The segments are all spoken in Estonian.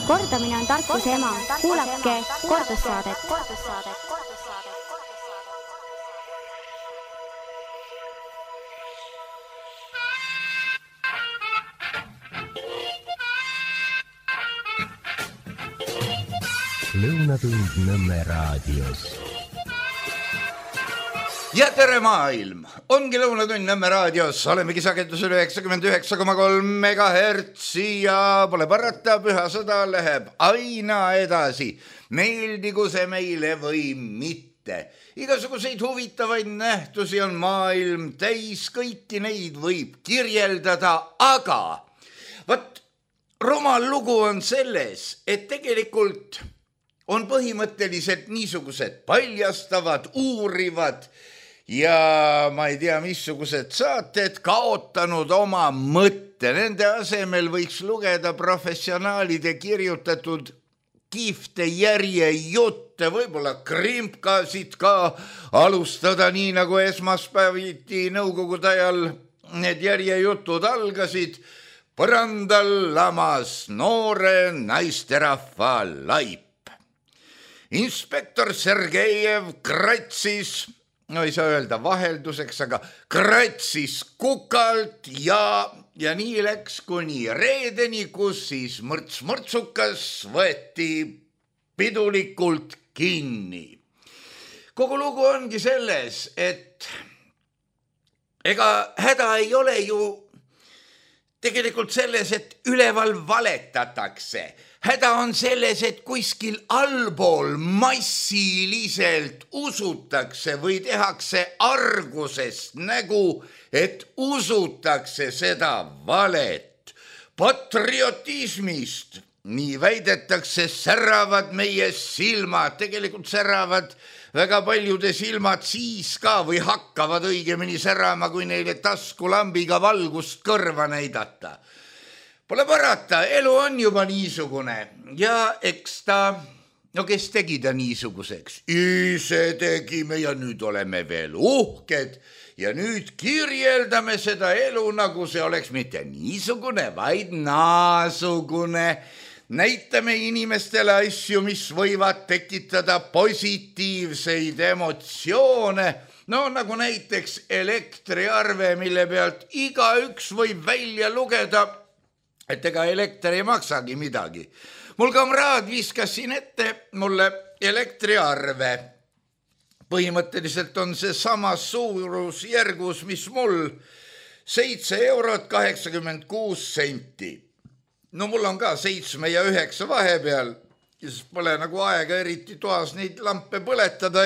Kordamine on tarkuse ema. Kuulake kordussaadet. Lõunatund Nõmme raadios. Ja tere maailm! Ongi Lõunatund Nõmme raadios. Olemegi sagedusel 99,3 megahertsi ja pole parata, püha sõda läheb aina edasi. Meeldigu see meile või mitte. Igasuguseid huvitavaid nähtusi on maailm täis, kõiki neid võib kirjeldada, aga võt, rumal lugu on selles, et tegelikult on põhimõtteliselt niisugused paljastavad, uurivad ja ma ei tea, missugused saated kaotanud oma mõtte. Nende asemel võiks lugeda professionaalide kirjutatud kihvte järjejutte, võib-olla krimpkasid ka alustada nii, nagu esmaspäeviti nõukogude ajal need järjejutud algasid. Põrandal lamas noore naisterahva laip. Inspektor Sergejev kratsis, no ei saa öelda vahelduseks, aga kratsis kukalt ja nii läks kuni reedeni, kus siis mõrts-mõrtsukas võeti pidulikult kinni. Kogu lugu ongi selles, et ega häda ei ole ju tegelikult selles, et üleval valetatakse. Häda on selles, et kuskil allpool massiliselt usutakse või tehakse argusest nägu, et usutakse seda valet. Patriotismist, nii väidetakse, säravad meie silmad, tegelikult säravad väga paljude silmad siis ka või hakkavad õigemini särama, kui neile taskulambiga valgust kõrva näidata. Pole parata, elu on juba niisugune ja eks ta, no kes tegi ta niisuguseks? Ise tegime ja nüüd oleme veel uhked ja nüüd kirjeldame seda elu, nagu see oleks mitte niisugune, vaid naasugune. Näitame inimestele asju, mis võivad tekitada positiivseid emotsioone. No nagu näiteks elektriarve, mille pealt igaüks võib välja lugeda, et ega elekter ei maksagi midagi. Mul kamraad viskas siin ette mulle elektriarve. Põhimõtteliselt on see samas suurusjärgus, mis mul 7,86 €. No mul on ka 7 ja 9 vahepeal, siis pole nagu aega eriti toas neid lampe põletada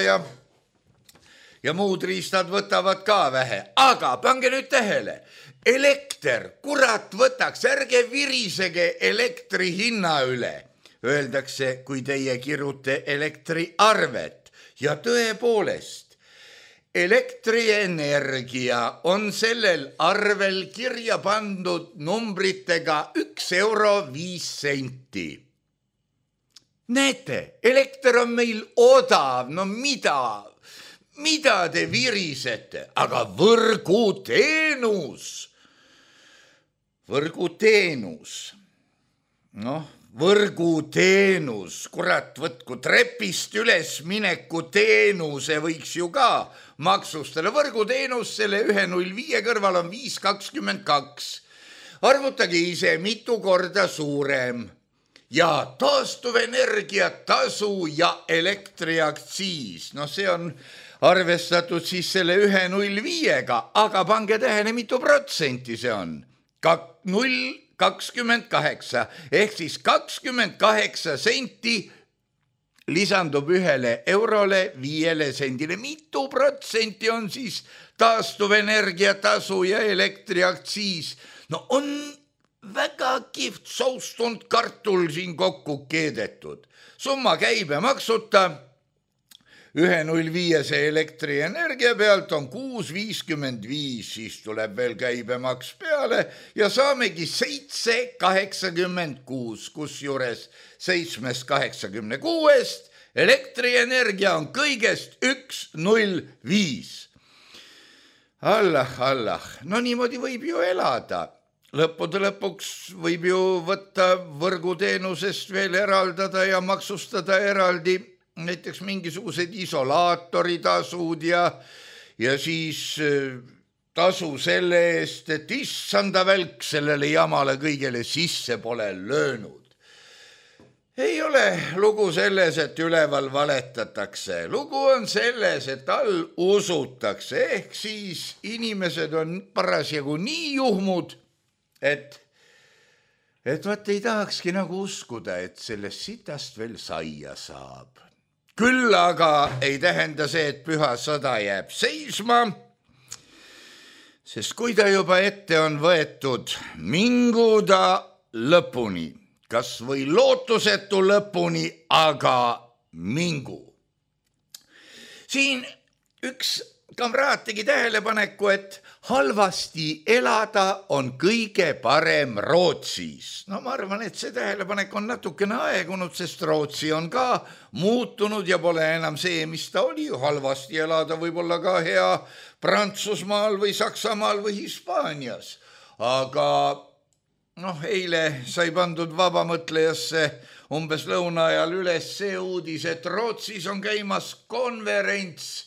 ja muud riistad võtavad ka vähe. Aga pange nüüd tähele, elekter, kurat võtaks, ärge virisege elektri hinna üle, öeldakse, kui teie kirjute elektriarvet. Ja tõepoolest, elektrienergia on sellel arvel kirja pandud numbritega 1,05 €. Näete, elekter on meil odav, no mida te virisete, aga võrguteenus, võrguteenus, kurat võtku, trepist üles mineku teenuse võiks ju ka maksustada. Võrguteenus selle 1,05 kõrval on 5,22. Arvutage ise, mitu korda suurem. Ja taastuvenergia tasu ja elektriaktsiis, no see on arvestatud siis selle 1,05-ga, aga pange tähele, mitu protsenti see on. 0,28 ehk siis 28 senti lisandub 1 eurole 5 sendile. Mitu protsenti on siis taastuvenergia tasu ja elektriaktsiis? No on väga kihvt soustunud kartul siin kokku keedetud. Summa käibemaksuta 1,05 elektrienergia pealt on 6,55, siis tuleb veel käibemaks peale ja saamegi 7,86, kusjuures 7,86 elektrienergia on kõigest 1,05. Allah, no niimoodi võib ju elada. lõppude lõpuks võib ju võtta võrguteenusest veel eraldada ja maksustada eraldi näiteks mingisugused isolaatoritasud ja siis tasu selle eest, et issanda välk sellele jamale kõigele sisse pole löönud. Ei ole lugu selles, et üleval valetatakse. Lugu on selles, et all usutakse, ehk siis inimesed on parasjagu nii juhmud, et vaat ei tahakski nagu uskuda, et sellest sitast veel saia saab. Küll aga ei tähenda see, et püha sõda jääb seisma, sest kui ta juba ette on võetud, mingu ta lõpuni. Kas või lootusetu lõpuni, aga mingu. Siin üks kamraad tegi tähelepaneku, et halvasti elada on kõige parem Rootsis. No ma arvan, et see tähelepanek on natukene aegunud, sest Rootsi on ka muutunud ja pole enam see, mis ta oli. Halvasti elada võib olla ka hea Prantsusmaal või Saksamaal või Hispaanias, aga eile sai pandud vabamõtlejasse umbes lõuna ajal üles see uudis, et Rootsis on käimas konverents.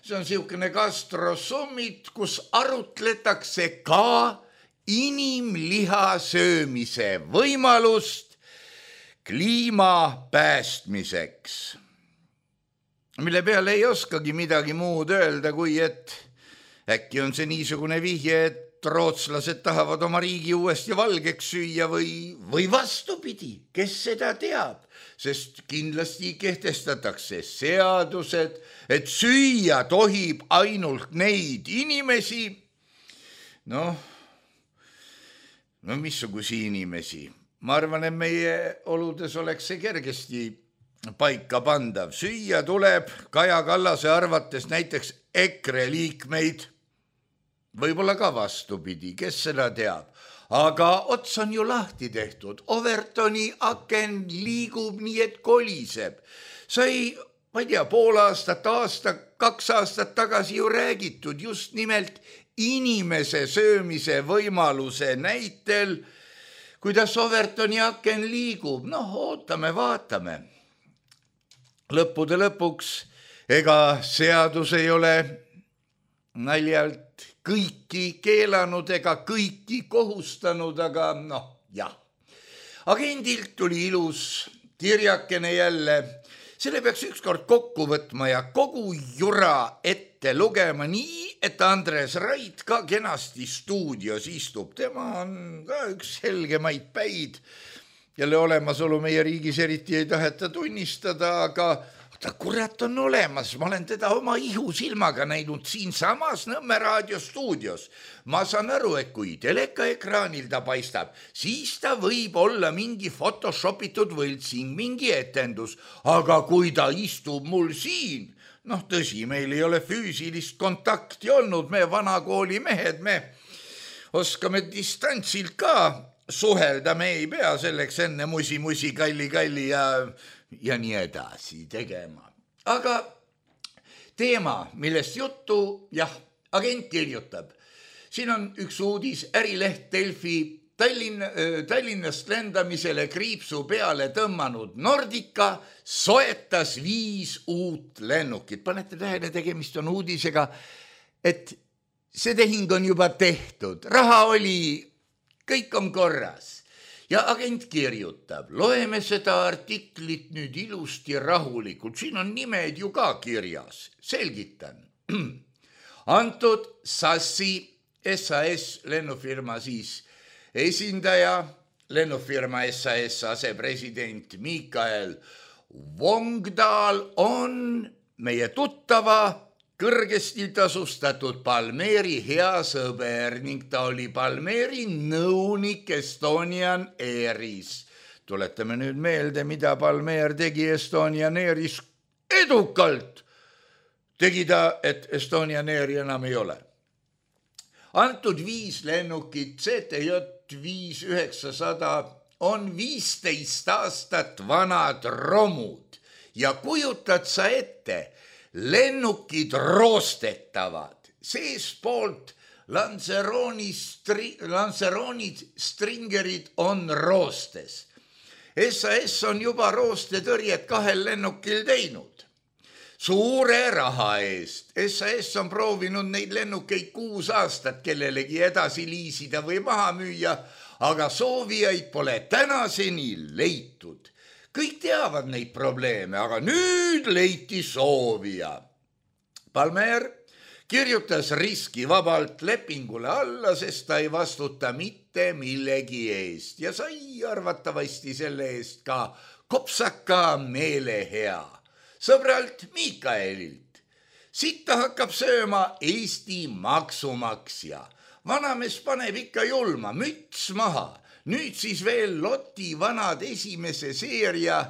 See on siukene gastrosummit, kus arutletakse ka inimliha söömise võimalust kliima päästmiseks. Mille peale ei oskagi midagi muud öelda, kui et äkki on see niisugune vihje, et rootslased tahavad oma riigi uuesti valgeks süüa või vastupidi, kes seda teab, sest kindlasti kehtestatakse seadused, et süüa tohib ainult neid inimesi, missugusi inimesi. Ma arvan, et meie oludes oleks see kergesti paika pandav. Süüa tuleb Kaja Kallase arvates näiteks EKRE liikmeid, võib-olla ka vastupidi, kes seda teab. Aga ots on ju lahti tehtud. Overtoni aken liigub nii, et koliseb. Sai, ma ei tea, pool aastat, aasta, 2 aastat tagasi ju räägitud just nimelt inimese söömise võimaluse näitel, kuidas Overtoni aken liigub. Ootame, vaatame. Lõppude lõpuks, ega seadus ei ole naljalt kõiki keelanud ega kõiki kohustanud, aga jah. Agendilt tuli ilus kirjakene jälle. Selle peaks ükskord kokku võtma ja kogu jura ette lugema nii, et Andres Rait ka kenasti stuudios istub. Tema on ka üks helgemaid päid. Jälle olemasolu meie riigis eriti ei taheta tunnistada, aga ta kurat on olemas, ma olen teda oma ihusilmaga näinud siin samas Nõmme raadio stuudios. Ma saan aru, et kui telekaekraanil ta paistab, siis ta võib olla mingi photoshopitud võltsing, mingi etendus, aga kui ta istub mul siin, tõsi, meil ei ole füüsilist kontakti olnud, me vanakooli mehed, me oskame distantsilt ka suhelda, me ei pea selleks enne musi, kalli ja nii edasi tegema. Aga teema, millest juttu, agent kirjutab. Siin on üks uudis, ärileht Delfi, Tallinnast lendamisele kriipsu peale tõmmanud Nordica soetas 5 uut lennukit. Panete tähele, tegemist on uudisega, et see tehing on juba tehtud, raha oli, kõik on korras. Ja agent kirjutab, loeme seda artiklit nüüd ilusti rahulikult, siin on nimed ju ka kirjas, selgitan. Antud SAS lennufirma siis esindaja, lennufirma SAS asepresident Mikael Vongdal on meie tuttava kõrgesti tasustatud Palmeri hea sõber ning ta oli Palmeri nõunik Estonian Airis. Tuletame nüüd meelde, mida Palmer tegi Estonian Airis edukalt. Tegi ta, et Estonian Airi enam ei ole. Antud 5 lennukit CTJ 5900 on 15 aastat vanad romud ja kujutad sa ette, lennukid roostetavad, seespoolt Lanceroni stringerid on roostes. SAS on juba roostetõrjet 2 lennukil teinud. Suure raha eest. SAS on proovinud neid lennukeid 6 aastat kellelegi edasi liisida või maha müüa, aga soovijaid pole tänaseni leitud. Kõik teavad neid probleeme, aga nüüd leiti soovija. Palmer kirjutas riskivabalt lepingule alla, sest ta ei vastuta mitte millegi eest ja sai arvatavasti selle eest ka kopsaka meelehea. Sõbralt Mikaelilt. Sitta hakkab sööma Eesti maksumaksja. Vanamees paneb ikka julma, müts maha. Nüüd siis veel Loti vanad esimese seeria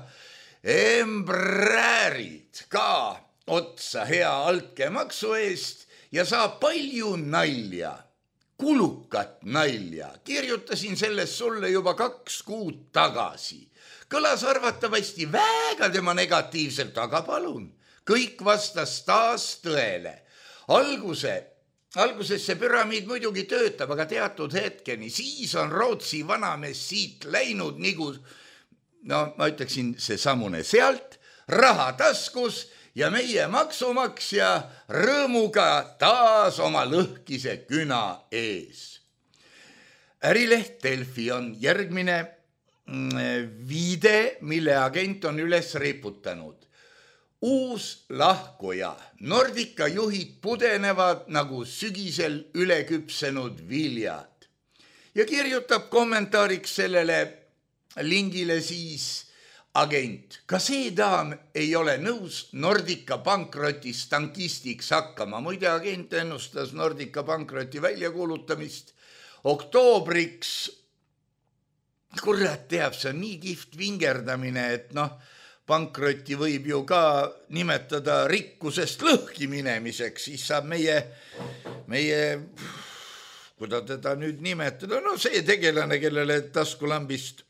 Embräärid ka otsa hea altkäemaksu eest ja saab palju nalja, kulukat nalja. Kirjutasin sellest sulle juba 2 kuud tagasi. Kõlas arvatavasti väga tema negatiivselt, aga palun. Kõik vastas taas tõele. Alguses see püramiid muidugi töötab, aga teatud hetkeni. Siis on Rootsi vanamees siit läinud nagu, ma ütleksin see samune sealt, raha taskus ja meie maksumaksja rõõmuga taas oma lõhkise küna ees. Ärileht Delfi on järgmine viide, mille agent on üles riputanud. Uus lahkuja. Nordica juhid pudenevad nagu sügisel üleküpsenud viljad. Ja kirjutab kommentaariks sellele lingile siis agent. Ka see daam ei ole nõus Nordica pankrotist tankistiks hakkama. Muide, agent ennustas Nordica pankroti väljakuulutamist oktoobriks. Kurat teab, see on nii kihvt vingerdamine, et pankroti võib ju ka nimetada rikkusest lõhki minemiseks, siis saab meie, kuidas teda nüüd nimetada, see tegelane, kellele taskulambist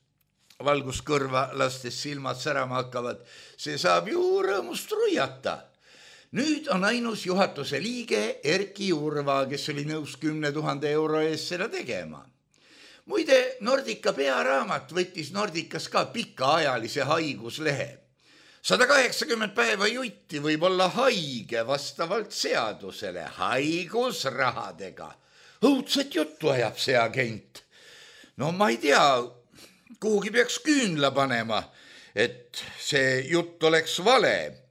valguskõrva lastes silmad särama hakkavad, see saab ju rõõmust ruiata. Nüüd on ainus juhatuse liige Erki Urva, kes oli nõus 10 000 euro eest seda tegema. Muide, Nordica pearaamat võttis Nordicas ka pikaajalise haiguslehe. 180 päeva jutti võib olla haige vastavalt seadusele haigusrahadega. Õudset juttu ajab see agent. Ma ei tea, kuhugi peaks küünla panema, et see jutt oleks vale.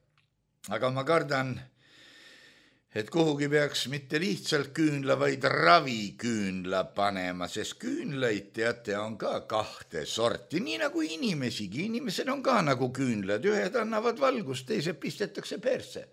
Aga ma kardan, et kuhugi peaks mitte lihtsalt küünla, vaid raviküünla panema, sest küünlaid, teate, on ka 2 sorti, nii nagu inimesigi. Inimesed on ka nagu küünlad, ühed annavad valgust, teised pistetakse perse.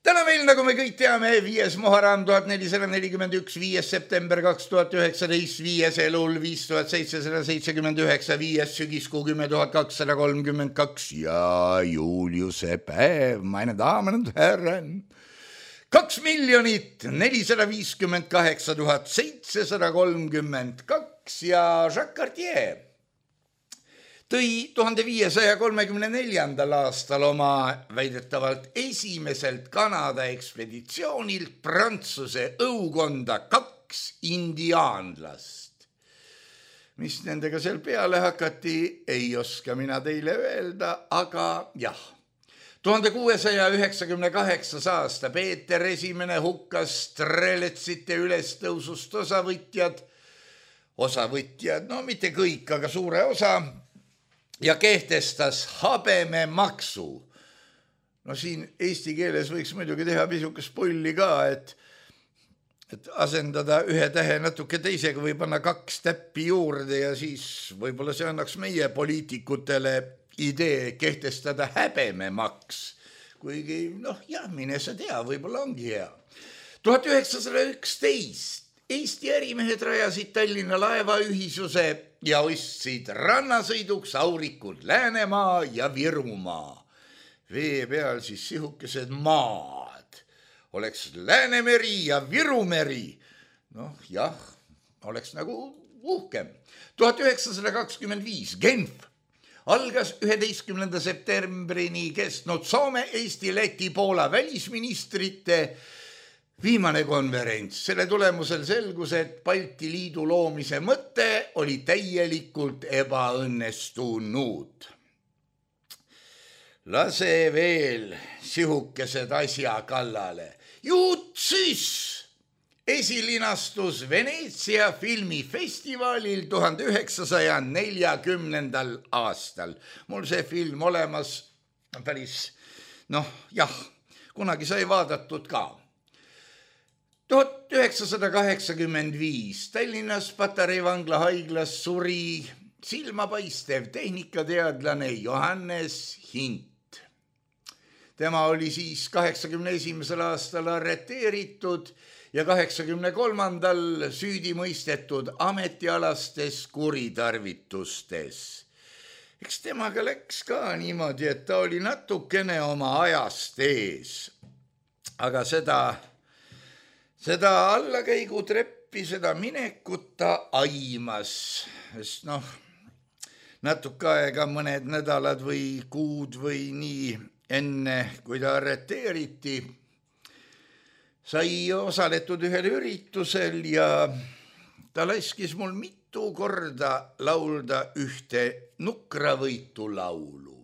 Täna meil, nagu me kõik teame, 5. Muharram 1441, 5. september 2019, 5. elul 5779, 5. sügiskuu 10232 ja Juliuse päev, meine Damen und Herren. 2 458 732 ja Jacques Cartier tõi 1534. aastal oma väidetavalt esimeselt Kanada ekspeditsioonilt Prantsuse õukonda 2 indiaanlast. Mis nendega seal peale hakati, ei oska mina teile öelda, aga jah. 1698. aasta Peeter I hukkas Streletsite ülestõusust osavõtjad, mitte kõik, aga suure osa, ja kehtestas habememaksu. Siin eesti keeles võiks muidugi teha pisukest pulli ka, et asendada 1 tähe natuke teisega või panna 2 täppi juurde ja siis võib-olla see annaks meie poliitikutele idee kehtestada häbememaks, kuigi mine sa tea, võib-olla ongi hea. 1911 Eesti ärimehed rajasid Tallinna laevaühisuse ja ostsid rannasõiduks Aurikud Läänemaa ja Virumaa. Vee peal siis sihukesed maad. Oleks Läänemeri ja Virumeri. Oleks nagu uhkem. 1925 Genf algas 11. septembrini kestnud Soome, Eesti, Läti, Poola välisministrite viimane konverents. Selle tulemusel selgus, et Balti Liidu loomise mõte oli täielikult ebaõnnestunud. Lase veel sihukesed asja kallale. Jutsis esilinastus Veneetsia filmifestivalil 1940. aastal. Mul see film olemas päris, kunagi sai vaadatud ka. 1985 Tallinnas Patarei vangla haiglas suri silmapaistev tehnikateadlane Johannes Hint. Tema oli siis 81. aastal arreteeritud ja 83. süüdi mõistetud ametialastes kuritarvitustes. Eks temaga läks ka niimoodi, et ta oli natukene oma ajast ees. Aga seda allakäigutreppi, seda minekut ta aimas, sest natuke aega, mõned nädalad või kuud või nii enne, kui ta arreteeriti, sai osaletud ühel üritusel ja ta laskis mul mitu korda laulda ühte nukravõitu laulu.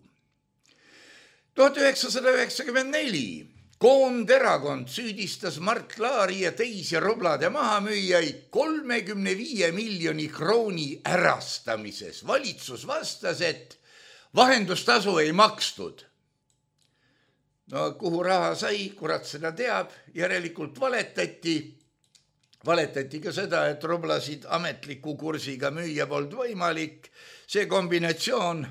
1994 Koonderakond süüdistas Mart Laari ja teisi roblade mahamüüjaid 35 miljoni krooni ärastamises. Valitsus vastas, et vahendustasu ei makstud. Kuhu raha sai, kurat seda teab, järelikult valetati. Valetati ka seda, et roblasid ametliku kursiga müüa polnud võimalik. See kombinatsioon,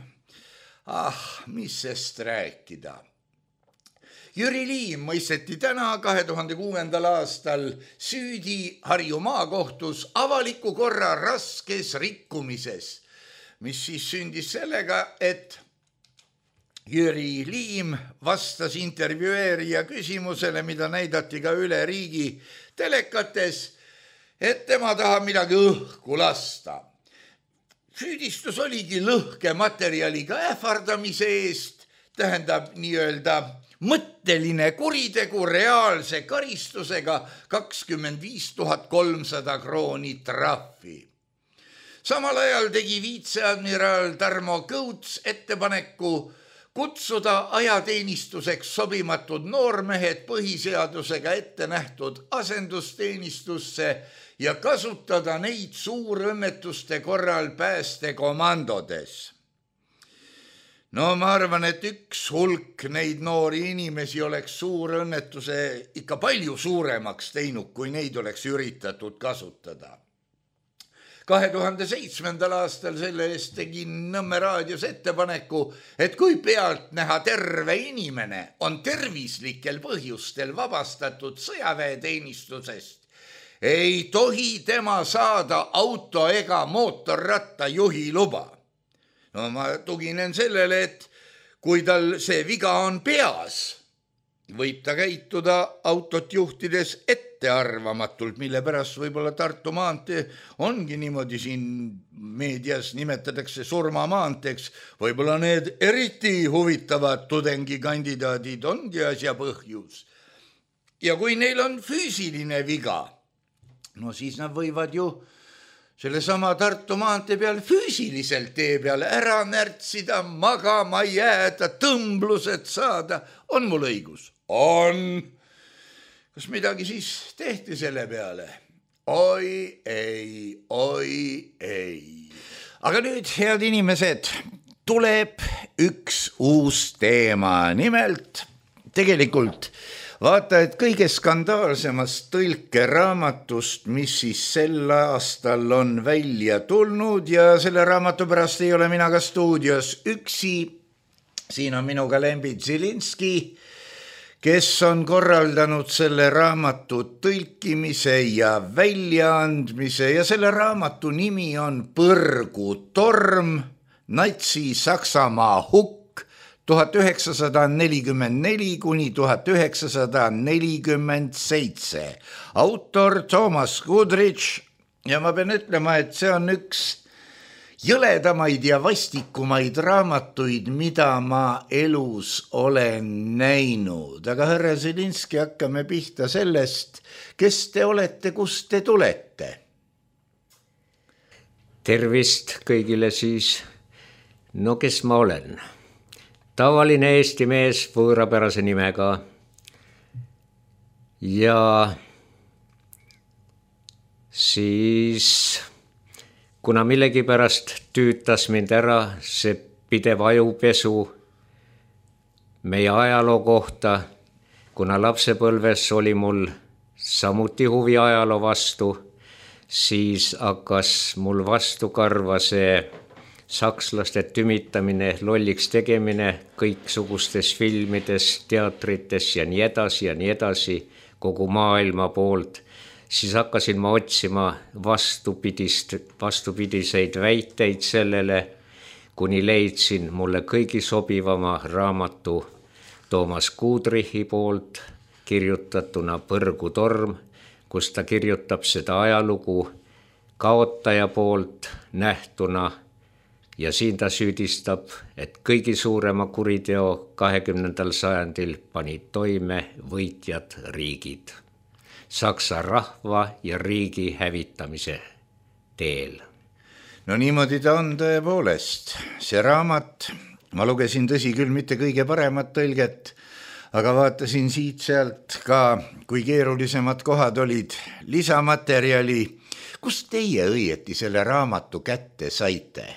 mis sest rääkida. Jüri Liim mõisteti täna 2006. aastal süüdi Harju maakohtus avaliku korra raskes rikkumises, mis siis sündis sellega, et Jüri Liim vastas intervjueerija küsimusele, mida näidati ka üle riigi telekates, et tema tahab midagi õhku lasta. Süüdistus oligi lõhke materjaliga ähvardamise eest, tähendab nii-öelda mõtteline kuritegu reaalse karistusega 25 300 krooni trahvi. Samal ajal tegi viitseadmiral Tarmo Kõuts ettepaneku kutsuda ajateenistuseks sobimatud noormehed põhiseadusega ette nähtud asendusteenistusse ja kasutada neid suurõnnetuste korral päästekomandodes. Ma arvan, et üks hulk neid noori inimesi oleks suurõnnetuse ikka palju suuremaks teinud, kui neid oleks üritatud kasutada. 2007. aastal selle eest tegin Nõmme raadios ettepaneku, et kui pealt näha terve inimene on tervislikel põhjustel vabastatud sõjaväeteenistusest, ei tohi tema saada auto ega mootorratta juhi luba. Ma tuginen sellele, et kui tal see viga on peas, võib ta käituda autot juhtides ettearvamatult, mille pärast võib-olla Tartu maantee ongi niimoodi siin meedias nimetatakse surmamaanteeks. Võib-olla need eriti huvitavad tudengikandidaadid ongi asja põhjus. Ja kui neil on füüsiline viga, siis nad võivad ju selle sama Tartu maantee peal füüsiliselt tee peal ära närtsida, magama jääda, tõmblused saada. On mul õigus? On. Kas midagi siis tehti selle peale? Oi ei. Aga nüüd, head inimesed, tuleb üks uus teema. Nimelt, tegelikult vaata, et kõige skandaalsemast tõlkeraamatust, mis siis sel aastal on välja tulnud ja selle raamatu pärast ei ole mina ka stuudios üksi. Siin on minuga Lembit Zilinski, kes on korraldanud selle raamatu tõlkimise ja väljaandmise ja selle raamatu nimi on Põrgutorm, Natsi-Saksamaa hukk 1944 kuni 1947. Autor Thomas Goodrich ja ma pean ütlema, et see on üks jõledamaid ja vastikumaid raamatuid, mida ma elus olen näinud. Aga härra Zelinski, hakkame pihta sellest, kes te olete, kust te tulete? Tervist kõigile siis. No kes ma olen? Tavaline Eesti mees võõrapärase nimega. Ja siis, kuna millegipärast tüütas mind ära see pidev ajupesu meie ajaloo kohta, kuna lapsepõlves oli mul samuti huvi ajaloo vastu, siis hakkas mul vastu karva see sakslaste tümitamine, lolliks tegemine kõiksugustes filmides, teatrites ja nii edasi kogu maailma poolt. Siis hakkasin ma otsima vastupidiseid väiteid sellele, kuni leidsin mulle kõigi sobivama raamatu Toomas Kudrichi poolt kirjutatuna Põrgutorm, kus ta kirjutab seda ajalugu kaotaja poolt nähtuna ja siin ta süüdistab, et kõigi suurema kuriteo 20. sajandil panid toime võitjad riigid Saksa rahva ja riigi hävitamise teel. No niimoodi ta on tõepoolest. See raamat, ma lugesin tõsi küll mitte kõige paremat tõlget, aga vaatasin siit sealt ka, kui keerulisemad kohad olid, lisamaterjali. Kust teie õieti selle raamatu kätte saite?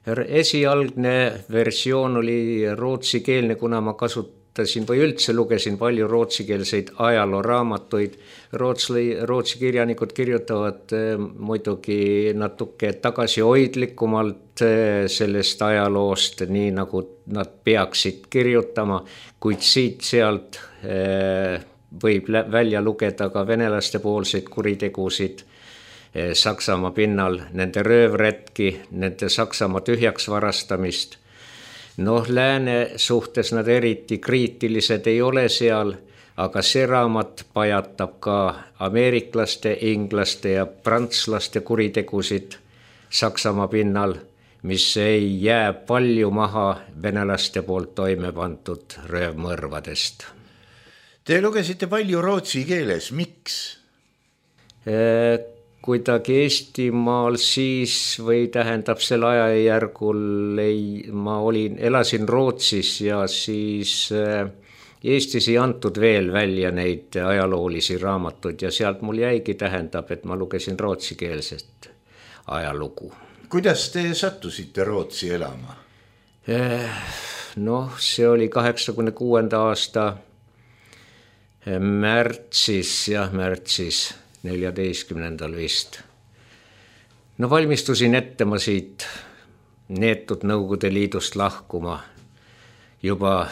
Esialgne versioon oli rootsikeelne, kuna ma kasutasin või üldse lugesin palju rootsikeelseid ajalooraamatuid. Rootsi kirjanikud kirjutavad muidugi natuke tagasihoidlikumalt sellest ajaloost, nii nagu nad peaksid kirjutama, kuid siit-sealt võib välja lugeda ka venelaste poolseid kuritegusid Saksamaa pinnal, nende röövretki, nende Saksamaa tühjaks varastamist. Lääne suhtes nad eriti kriitilised ei ole seal, aga see raamat pajatab ka ameeriklaste, inglaste ja prantslaste kuritegusid Saksamaa pinnal, mis ei jää palju maha venelaste poolt toime pandud röövmõrvadest. Te lugesite palju rootsi keeles, miks? Kuidagi Eestimaal siis või tähendab sel ajajärgul ma elasin Rootsis ja siis Eestis ei antud veel välja neid ajaloolisi raamatuid ja sealt mul jäigi tähendab, et ma lugesin rootsikeelset ajalugu. Kuidas te sattusite Rootsi elama? See oli 86. aasta märtsis 14. vist. Valmistusin ette ma siit neetud Nõukogude Liidust lahkuma juba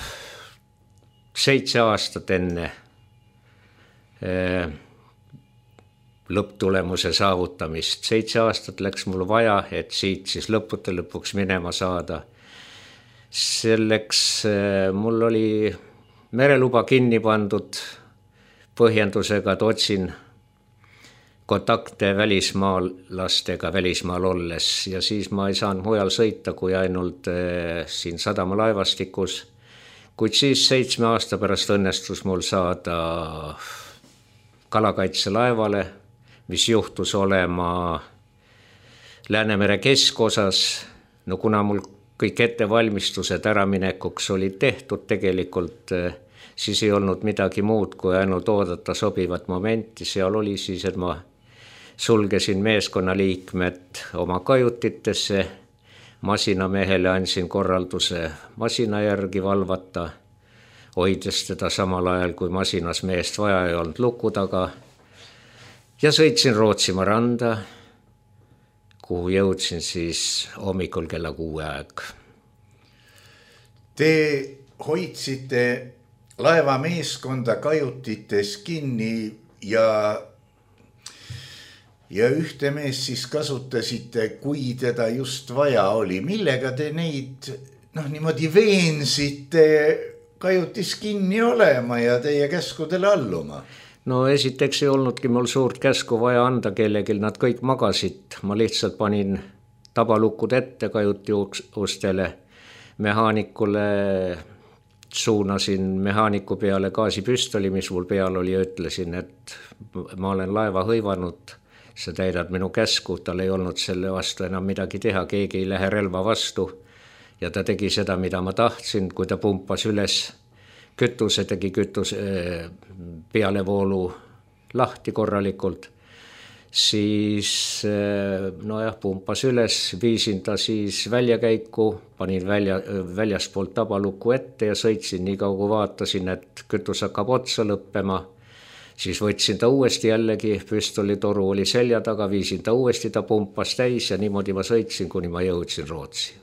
7 aastat enne lõpptulemuse saavutamist. 7 aastat läks mul vaja, et siit siis lõpuks minema saada. Selleks mul oli mereluba kinni pandud põhjendusega, et otsin kontakte välismaalastega välismaal olles ja siis ma ei saanud mujal sõita kui ainult siin sadamalaevastikus. Kuid siis 7 aasta pärast õnnestus mul saada kalakaitselaevale, mis juhtus olema Läänemere keskosas. Kuna mul kõik ettevalmistused äraminekuks olid tehtud tegelikult, siis ei olnud midagi muud, kui ainult oodata sobivat momenti. Seal oli siis, et ma sulgesin meeskonnaliikmed oma kajutitesse, masinamehele andsin korralduse masina järgi valvata, hoides teda samal ajal, kui masinas meest vaja ei olnud luku taga ja sõitsin Rootsimaa randa, kuhu jõudsin siis hommikul kella 6 aeg. Te hoidsite laevameeskonda kajutites kinni ja ühte mees siis kasutasite, kui teda just vaja oli. Millega te neid niimoodi veensite kajutis kinni olema ja teie käskudele alluma? Esiteks ei olnudki mul suurt käsku vaja anda kellelgi, nad kõik magasid. Ma lihtsalt panin tabalukud ette kajuti ustele, mehaanikule suunasin mehaaniku peale gaasipüstoli, mis mul peal oli, ja ütlesin, et ma olen laeva hõivanud, sa täidad minu käsku, tal ei olnud selle vastu enam midagi teha, keegi ei lähe relva vastu ja ta tegi seda, mida ma tahtsin, kui ta pumpas üles kütuse, tegi pealevoolu lahti korralikult, siis pumpas üles, viisin ta siis väljakäiku, panin väljaspoolt tabalukku ette ja sõitsin nii kaua, kui vaatasin, et kütus hakkab otsa lõppema. Siis võtsin ta uuesti jällegi, püstolitoru oli selja taga, viisin ta uuesti, ta pumpas täis ja niimoodi ma sõitsin, kuni ma jõudsin Rootsi.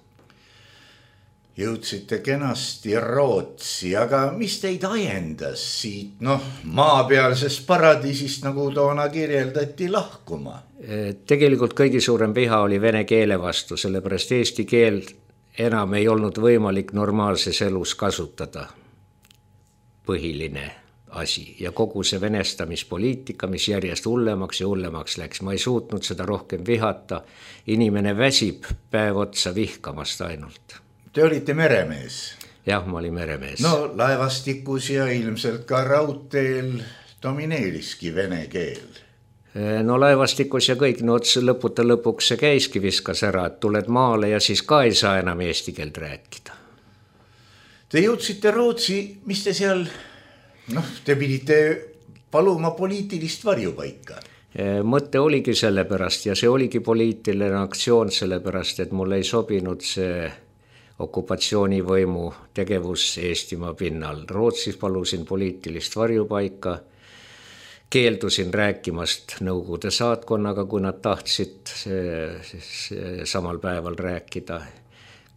Jõudsite kenasti Rootsi, aga mis teid ajendas siit, maapealsest paradiisist, nagu toona kirjeldati, lahkuma? Tegelikult kõigi suurem viha oli vene keele vastu, sellepärast eesti keel enam ei olnud võimalik normaalses elus kasutada. Põhiline asi ja kogu see venestamispoliitika, mis järjest hullemaks ja hullemaks läks. Ma ei suutnud seda rohkem vihata. Inimene väsib päev otsa vihkamast ainult. Te olite meremees? Jah, ma olin meremees. No laevastikus ja ilmselt ka raudteel domineeriski vene keel. No laevastikus ja kõik, lõputa lõpuks see käiski viskas ära, et tuled maale ja siis ka ei saa enam eesti keelt rääkida. Te jõudsite Rootsi, mis te seal... te pidite paluma poliitilist varjupaika. Mõte oligi sellepärast ja see oligi poliitiline aktsioon sellepärast, et mulle ei sobinud see okupatsioonivõimu tegevus Eestimaa pinnal. Rootsis palusin poliitilist varjupaika, keeldusin rääkimast Nõukogude saatkonnaga, kui nad tahtsid samal päeval rääkida.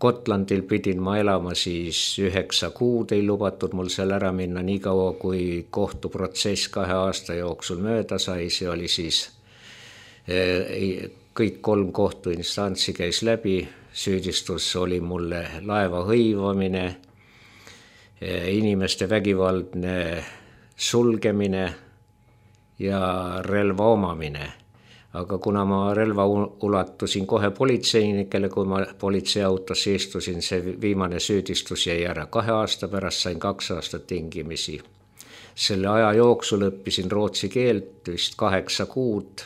Gotlandil pidin ma elama siis 9 kuud, ei lubatud mul seal ära minna nii kaua, kui kohtuprotsess 2 aasta jooksul mööda sai. See oli siis, kõik 3 kohtuinstantsi käis läbi, süüdistus oli mulle laeva hõivamine, inimeste vägivaldne sulgemine ja relva omamine. Aga kuna ma relva ulatusin kohe politseinikele, kui ma politseiautos istusin, see viimane süüdistus jäi ära. 2 aasta pärast sain 2 aastat tingimisi. Selle aja jooksul õppisin rootsi keelt vist 8 kuud,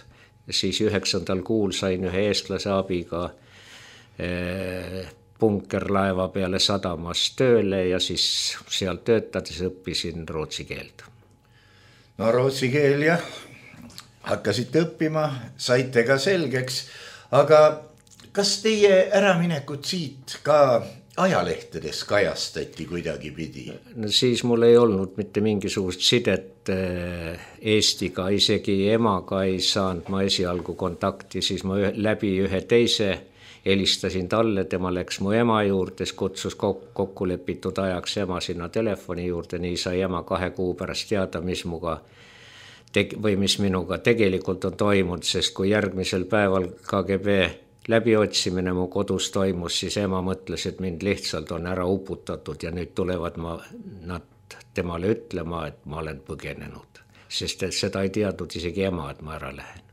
siis 9. kuul sain ühe eestlase abiga punkerlaeva peale sadamas tööle ja siis seal töötades õppisin rootsi keelt. No rootsi keel jah. Hakkasite õppima, saite ka selgeks, aga kas teie äraminekut siit ka ajalehtedes kajastati kuidagi pidi? No siis mul ei olnud mitte mingisugust sidet Eestiga, isegi emaga ei saanud ma esialgu kontakti, siis ma läbi ühe teise helistasin talle, tema läks mu ema juurde, kutsus kokku lepitud ajaks ema sinna telefoni juurde, nii sai ema 2 kuu pärast teada, mis minuga tegelikult on toimunud, sest kui järgmisel päeval KGB läbiotsimine mu kodus toimus, siis ema mõtles, et mind lihtsalt on ära uputatud ja nüüd tulevad nad temale ütlema, et ma olen põgenenud, sest et seda ei teadnud isegi ema, et ma ära lähen.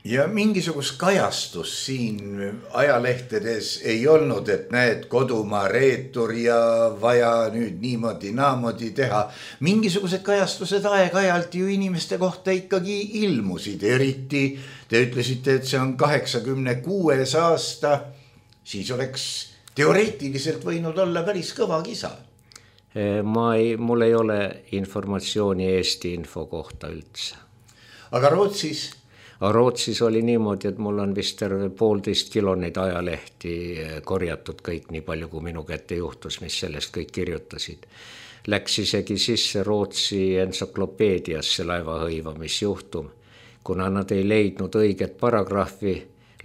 Ja mingisugust kajastus siin ajalehtedes ei olnud, et näed kodumaa reetur ja vaja nüüd niimoodi naamodi teha. Mingisugused kajastused aeg-ajalt ju inimeste kohta ikkagi ilmusid, eriti te ütlesite, et see on 86. aasta, siis oleks teoreetiliselt võinud olla päris kõva kisa. Mul ei ole informatsiooni Eesti info kohta üldse. Aga Rootsis? Rootsis oli niimoodi, et mul on vist terve 1,5 kilo neid ajalehti korjatud kõik nii palju, kui minu kätte juhtus, mis sellest kõik kirjutasid. Läks isegi sisse Rootsi entsüklopeediasse laeva hõivamisjuhtum. Kuna nad ei leidnud õiget paragrahvi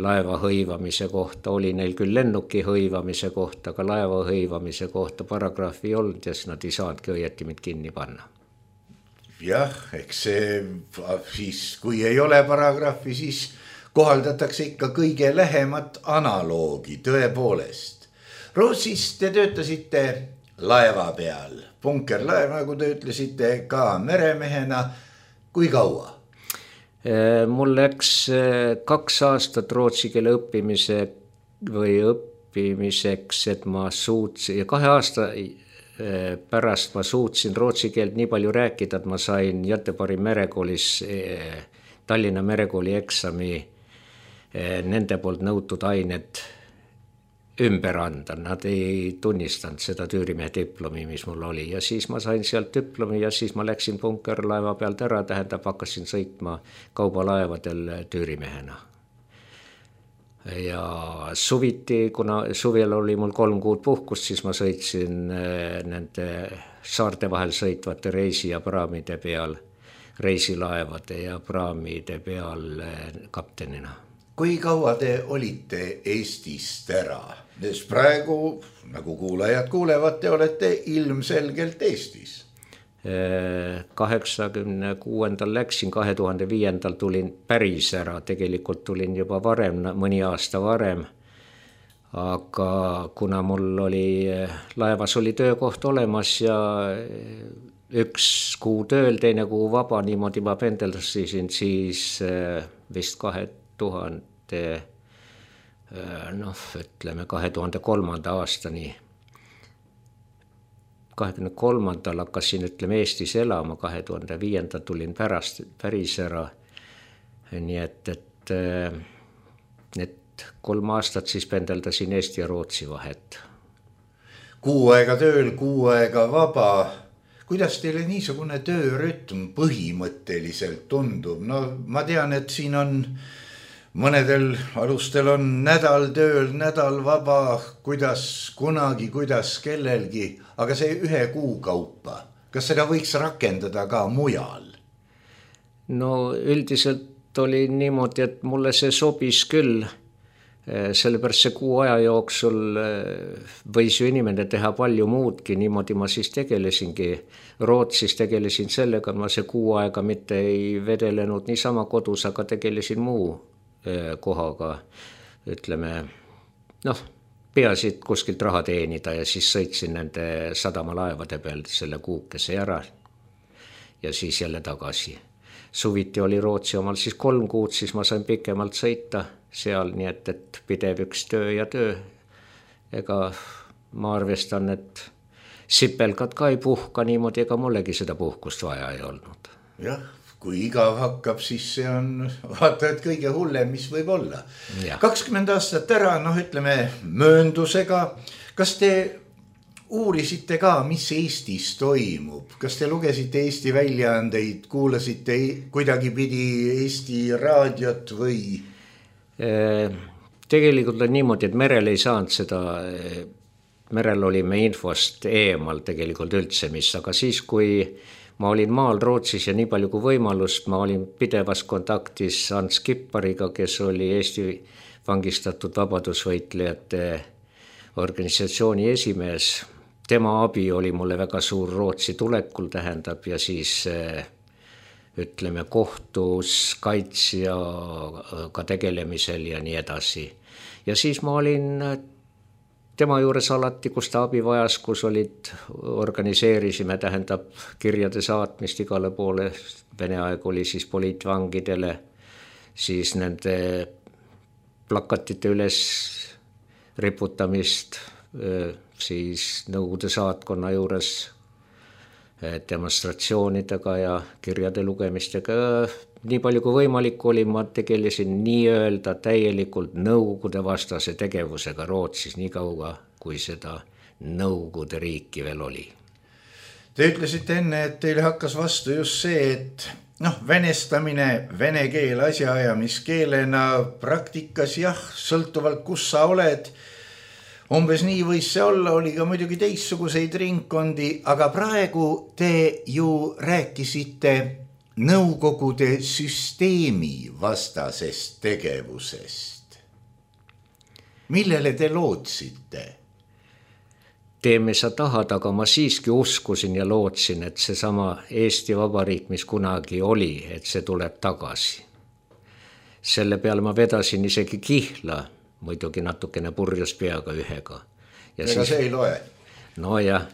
laeva hõivamise kohta, oli neil küll lennuki hõivamise kohta, aga laeva hõivamise kohta paragrahvi ei olnud ja nad ei saanudki õieti mind kinni panna. Jah, eks see siis, kui ei ole paragrahvi, siis kohaldatakse ikka kõige lähemat analoogi, tõepoolest. Rootsis te töötasite laeva peal, punkerlaev, nagu te ütlesite, ka meremehena. Kui kaua? Mul läks 2 aastat rootsi keele õppimise või õppimiseks, et ma suutsin ja 2 aasta pärast ma suutsin rootsi keelt nii palju rääkida, et ma sain Göteborgi merekoolis Tallinna merekooli eksami nende poolt nõutud ained ümber anda. Nad ei tunnistanud seda tüürimehe diplomi, mis mul oli ja siis ma sain sealt diplomi ja siis ma läksin punkerlaeva pealt ära, tähendab hakkasin sõitma kaubalaevadel tüürimehena. Ja suviti, kuna suvel oli mul 3 kuud puhkust, siis ma sõitsin nende saarte vahel sõitvate reisi ja praamide peal, reisilaevade ja praamide peal kaptenina. Kui kaua te olite Eestist ära? Sest praegu, nagu kuulajad kuulevad, te olete ilmselgelt Eestis. 86. läksin, 2005. tulin päris ära, tegelikult tulin juba varem, mõni aasta varem, aga kuna mul oli, laevas oli töökoht olemas ja 1 kuu tööl, teine kuu vaba, niimoodi ma pendeldasin siis vist 2003. aastani. 23. hakkasin Eestis elama, 2005. tulin päris ära. Nii et need 3 aastat siis pendeldasin Eesti ja Rootsi vahet. 6 aega tööl, 6 aega vaba. Kuidas teile niisugune töörütm põhimõtteliselt tundub? No ma tean, et siin on mõnedel alustel on nädal tööl, nädal vaba, kuidas kunagi, kuidas kellelgi, aga see 1 kuu kaupa, kas seda võiks rakendada ka mujal? No üldiselt oli niimoodi, et mulle see sobis küll, sellepärast see 6 aja jooksul võis ju inimene teha palju muudki, niimoodi ma siis tegelesingi. Rootsis tegelesin sellega, ma see 6 aega mitte ei vedelenud niisama kodus, aga tegelesin muu kohaga, ütleme, peasid kuskilt raha teenida ja siis sõitsin nende sadamalaevade peal selle kuukese ära ja siis jälle tagasi. Suviti oli Rootsi omal siis 3 kuud, siis ma sain pikemalt sõita seal, nii et pidev üks töö ja töö. Ega ma arvestan, et sipelgad ka ei puhka niimoodi, ega mullegi seda puhkust vaja ei olnud. Jah, kui igav hakkab, siis see on vaata, et kõige hullem, mis võib olla. 20 aastat ära, ütleme mööndusega. Kas te uurisite ka, mis Eestis toimub? Kas te lugesite Eesti väljaandeid, kuulasite kuidagi pidi Eesti raadiot või? Tegelikult on niimoodi, et merel ei saanud seda, merel olime infost eemal tegelikult üldse mis, aga siis kui ma olin maal Rootsis ja nii palju kui võimalust, ma olin pidevas kontaktis Hans Kippariga, kes oli Eesti vangistatud vabadusvõitlejate organisatsiooni esimees. Tema abi oli mulle väga suur Rootsi tulekul, tähendab, ja siis ütleme kohtus kaitsjaga tegelemisel ja nii edasi. Ja siis ma olin tema juures alati, kus ta abi vajas, kus organiseerisime, tähendab kirjade saatmist igale poole. Vene aeg oli siis poliitvangidele, siis nende plakatite üles riputamist, siis Nõukogude saatkonna juures demonstratsioonidega ja kirjade lugemistega. Nii palju kui võimalik oli, ma tegelesin nii-öelda täielikult Nõukogude vastase tegevusega Rootsis, nii kaua kui seda Nõukogude riiki veel oli. Te ütlesite enne, et teile hakkas vastu just see, et venestamine, vene keel asjaajamiskeelena praktikas, jah, sõltuvalt kus sa oled, umbes nii võis see olla, oli ka muidugi teistsuguseid ringkondi, aga praegu te ju rääkisite Nõukogude süsteemi vastasest tegevusest. Millele te lootsite? Teeme sa tahad, aga ma siiski uskusin ja lootsin, et seesama Eesti Vabariik, mis kunagi oli, et see tuleb tagasi. Selle peale ma vedasin isegi kihla, muidugi natukene purjus peaga ühega. Ega see ei loe? No jah.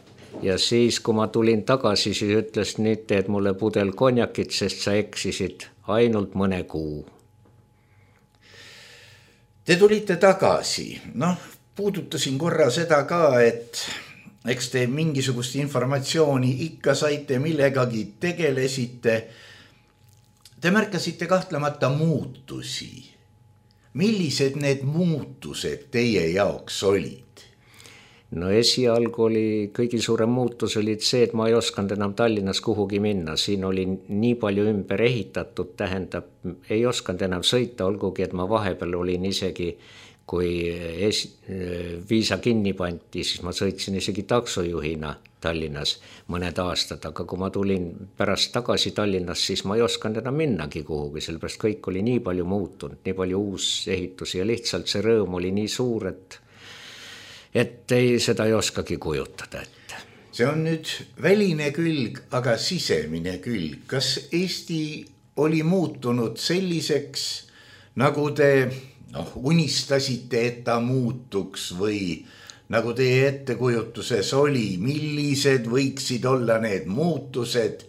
Ja siis, kui ma tulin tagasi, siis ütles, nüüd teed mulle pudel konjakit, sest sa eksisid ainult mõne kuu. Te tulite tagasi, puudutasin korra seda ka, et eks te mingisugust informatsiooni ikka saite, millegagi tegelesite. Te märkasite kahtlemata muutusi. Millised need muutused teie jaoks olid? No esialgu oli kõige suurem muutus olid see, et ma ei osanud enam Tallinnas kuhugi minna. Siin oli nii palju ümber ehitatud, tähendab, ei osanud enam sõita, olgugi, et ma vahepeal olin isegi, kui viisa kinni pandi, siis ma sõitsin isegi taksojuhina Tallinnas mõned aastad, aga kui ma tulin pärast tagasi Tallinnas, siis ma ei osanud enam minnagi kuhugi, sellepärast kõik oli nii palju muutunud, nii palju uusehitusi ja lihtsalt see rõõm oli nii suur, et seda ei oskagi kujutada ette. See on nüüd väline külg, aga sisemine külg. Kas Eesti oli muutunud selliseks, nagu te unistasite, et ta muutuks või nagu teie ettekujutuses oli, millised võiksid olla need muutused,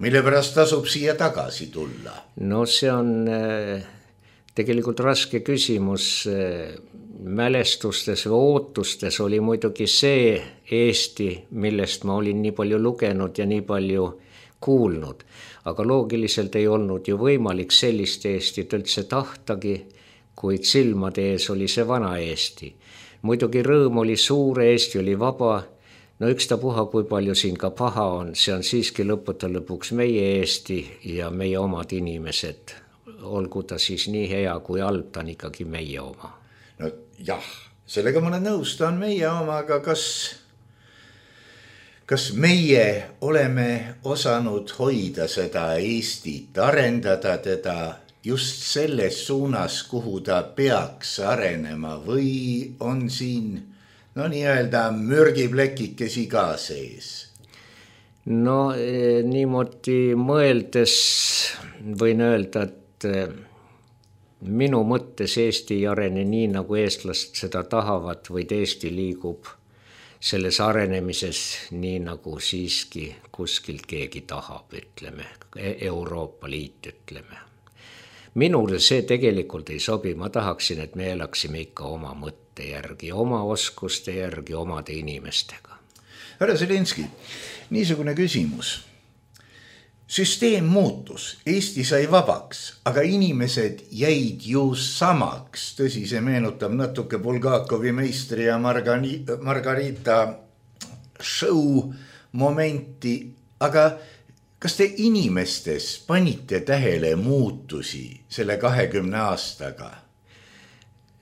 mille pärast tasub siia tagasi tulla? No see on tegelikult raske küsimus. Mälestustes või ootustes oli muidugi see Eesti, millest ma olin nii palju lugenud ja nii palju kuulnud. Aga loogiliselt ei olnud ju võimalik sellist Eestit üldse tahtagi, kuid silmade ees oli see vana Eesti. Muidugi rõõm oli suur, Eesti oli vaba. No ükstapuha, kui palju siin ka paha on, see on siiski lõppude lõpuks meie Eesti ja meie omad inimesed. Olgu ta siis nii hea kui halb, ta on ikkagi meie oma. No jah, sellega ma olen nõus, ta on meie oma, aga kas meie oleme osanud hoida seda Eestit, arendada teda just selles suunas, kuhu ta peaks arenema või on siin nii-öelda mürgiplekikesi ka sees? No niimoodi mõeldes võin öelda, et minu mõttes Eesti ei arene nii, nagu eestlast seda tahavad, vaid Eesti liigub selles arenemises nii, nagu siiski kuskilt keegi tahab, ütleme, Euroopa Liit, ütleme. Minule see tegelikult ei sobi, ma tahaksin, et me elaksime ikka oma mõtte järgi, oma oskuste järgi, omade inimestega. Härra Zelenski, niisugune küsimus. Süsteem muutus, Eesti sai vabaks, aga inimesed jäid ju samaks. Tõsi, see meenutab natuke Bulgakovi meistri ja Margarita show momenti, aga kas te inimestes panite tähele muutusi selle 20 aastaga?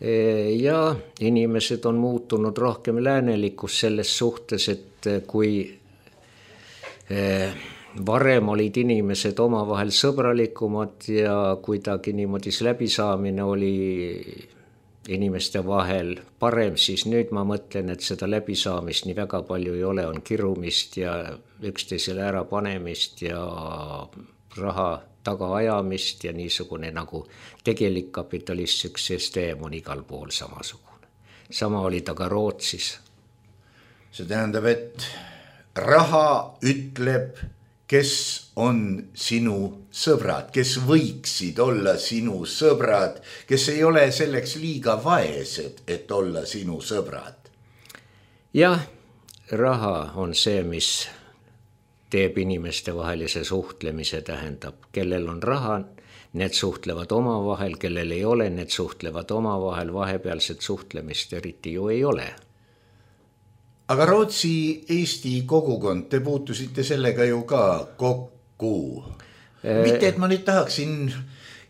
Ja inimesed on muutunud rohkem läänelikus selles suhtes, et kui varem olid inimesed omavahel sõbralikumad ja kuidagi niimoodi läbisaamine oli inimeste vahel parem, siis nüüd ma mõtlen, et seda läbisaamist nii väga palju ei ole, on kirumist ja üksteisele ära panemist ja raha tagaajamist ja niisugune nagu tegelik kapitalistlik süsteem on igal pool samasugune. Sama oli ta ka Rootsis. See tähendab, et raha ütleb, kes on sinu sõbrad, kes võiksid olla sinu sõbrad, kes ei ole selleks liiga vaesed, et olla sinu sõbrad. Jah, raha on see, mis teeb inimeste vahelise suhtlemise, tähendab, kellel on raha, need suhtlevad omavahel, kellel ei ole, need suhtlevad omavahel, vahepealset suhtlemist eriti ju ei ole. Aga Rootsi-Eesti kogukond, te puutusite sellega ju ka kokku. Mitte, et ma nüüd tahaksin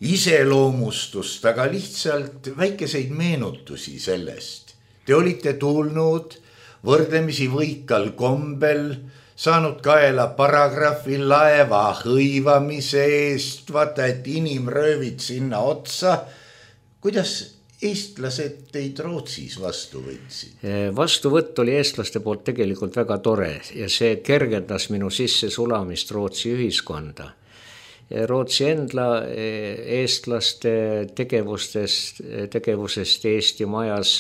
iseloomustust, aga lihtsalt väikeseid meenutusi sellest. Te olite tulnud võrdlemisi võikal kombel, saanud kaela paragrahvi laeva hõivamise eest, vaata, et inimröövid sinna otsa. Kuidas eestlased teid Rootsis vastu võtsid? Vastuvõtt oli eestlaste poolt tegelikult väga tore ja see kergendas minu sisse sulamist Rootsi ühiskonda. Rootsi enda eestlaste tegevusest Eesti majas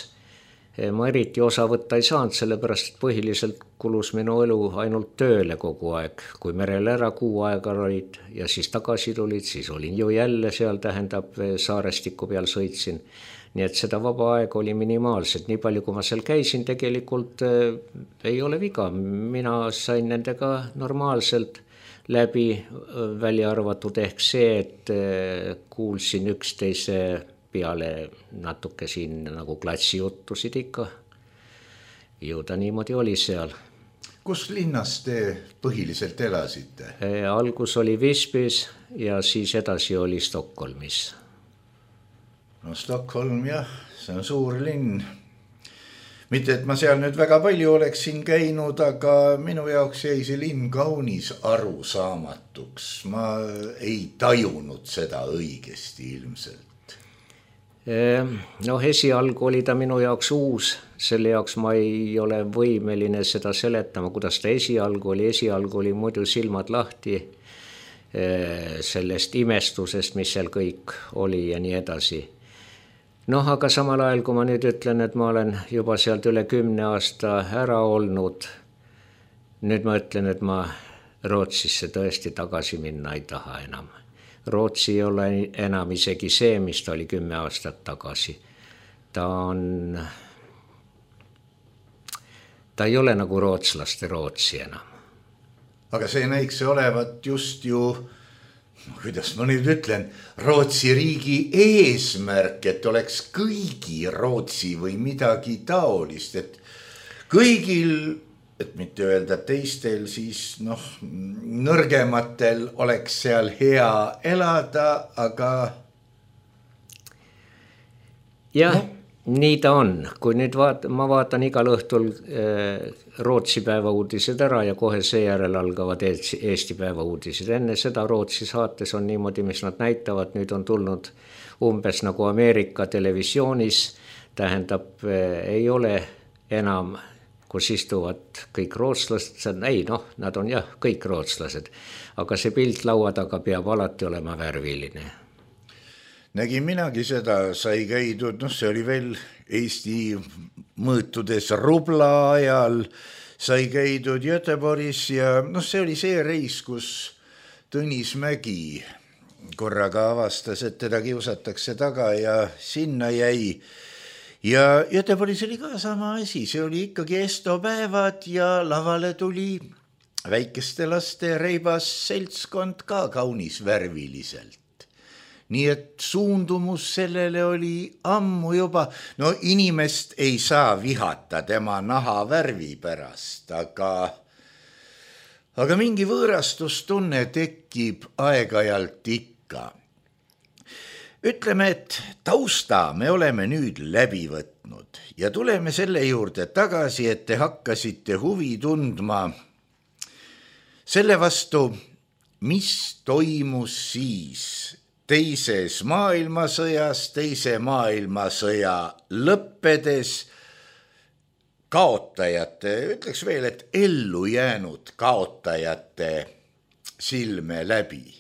ma eriti osa võtta ei saanud, sellepärast et põhiliselt kulus minu elu ainult tööle kogu aeg. Kui merel ära kuu aega olid ja siis tagasi tulid, siis olin ju jälle seal, tähendab saarestiku peal sõitsin. nii et seda vaba aega oli minimaalselt, nii palju kui ma seal käisin, tegelikult ei ole viga, mina sain nendega normaalselt läbi, välja arvatud ehk see, et kuulsin üksteise peale natuke siin nagu klassijuttusid ikka. Ju ta niimoodi oli seal. Kus linnas te põhiliselt elasite? Algus oli Visbys ja siis edasi oli Stockholmis. No Stockholm jah, see on suur linn. Mitte, et ma seal nüüd väga palju oleksin käinud, aga minu jaoks jäi see linn kaunis arusaamatuks. Ma ei tajunud seda õigesti ilmselt. No esialgu oli ta minu jaoks uus, selle jaoks ma ei ole võimeline seda seletama, kuidas ta esialgu oli muidu silmad lahti sellest imestusest, mis seal kõik oli ja nii edasi. Noh, aga samal ajal, kui ma nüüd ütlen, et ma olen juba sealt üle 10 aasta ära olnud, nüüd ma ütlen, et ma Rootsisse tõesti tagasi minna ei taha enam. Rootsi ei ole enam isegi see, mis ta oli 10 aastat tagasi. Ta ei ole nagu rootslaste Rootsi enam. Aga see näiks olevat just ju, kuidas ma nüüd ütlen, Rootsi riigi eesmärk, et oleks kõigi Rootsi või midagi taolist, et kõigil, et mitte öelda teistel, siis nõrgematel oleks seal hea elada, aga... Jah, nii ta on. Kui nüüd ma vaatan igal õhtul Rootsi päevauudised ära ja kohe seejärel algavad Eesti päevauudised. Enne seda Rootsi saates on niimoodi, mis nad näitavad, nüüd on tulnud umbes nagu Ameerika televisioonis, tähendab, ei ole enam... kus istuvad kõik rootslased, nad on jah, kõik rootslased, aga see pilt laua taga peab alati olema värviline. Nägin minagi seda, sai käidud, see oli veel Eesti mõõtudes rubla ajal, sai käidud Göteborgis ja see oli see reis, kus Tõnis Mägi korraga avastas, et teda kiusatakse taga ja sinna jäi. Ja Göteborgis oli ka sama asi, see oli ikkagi estopäevad ja lavale tuli väikeste laste reibas seltskond ka kaunis värviliselt. Nii et suundumus sellele oli ammu juba, inimest ei saa vihata tema naha värvi pärast, aga mingi võõrastustunne tekib aeg-ajalt ikka. Ütleme, et tausta me oleme nüüd läbi võtnud ja tuleme selle juurde tagasi, et te hakkasite huvi tundma selle vastu, mis toimus siis teises maailmasõjas, teise maailmasõja lõppedes kaotajate, ütleks veel, et ellu jäänud kaotajate silme läbi.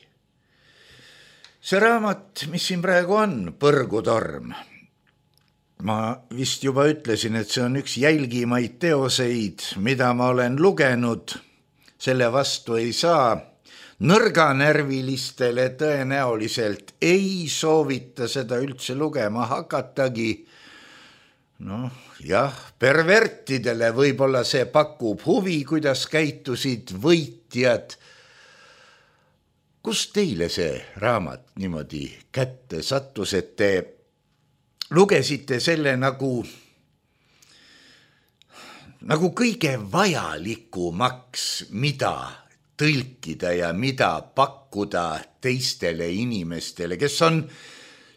See raamat, mis siin praegu on, Põrgutorm, ma vist juba ütlesin, et see on üks jälgimaid teoseid, mida ma olen lugenud, selle vastu ei saa. Nõrganärvilistele tõenäoliselt ei soovita seda üldse lugema hakatagi. Pervertidele võib-olla see pakub huvi, kuidas käitusid võitjad. Kus teile see raamat niimoodi kätte sattus, et te lugesite selle nagu kõige vajalikumaks, mida tõlkida ja mida pakkuda teistele inimestele, kes on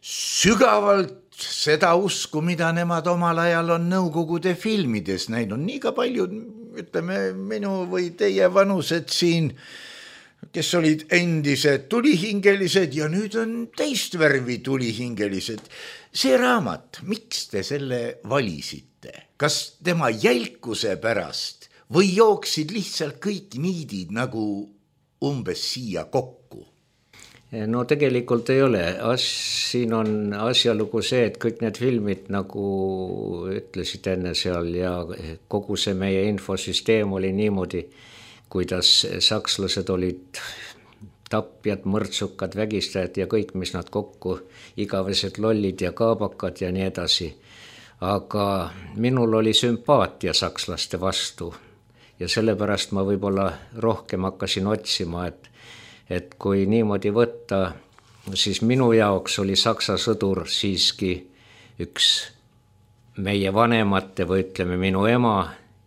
sügavalt seda usku, mida nemad omal ajal on Nõukogude filmides näinud. Nii ka paljud, ütleme, minu või teie vanused siin, kes olid endised tulihingelised ja nüüd on teist värvi tulihingelised. See raamat, miks te selle valisite? Kas tema jälkuse pärast või jooksid lihtsalt kõik niidid nagu umbes siia kokku? No tegelikult ei ole. Siin on asjalugu see, et kõik need filmid, nagu ütlesid enne seal ja kogu see meie infosüsteem oli niimoodi, kuidas sakslased olid tapjad, mõrtsukad, vägistajad ja kõik, mis nad kokku, igavesed lollid ja kaabakad ja nii edasi. Aga minul oli sümpaatia sakslaste vastu ja sellepärast ma võib-olla rohkem hakkasin otsima, et kui niimoodi võtta, siis minu jaoks oli Saksa sõdur siiski üks meie vanemate või ütleme minu ema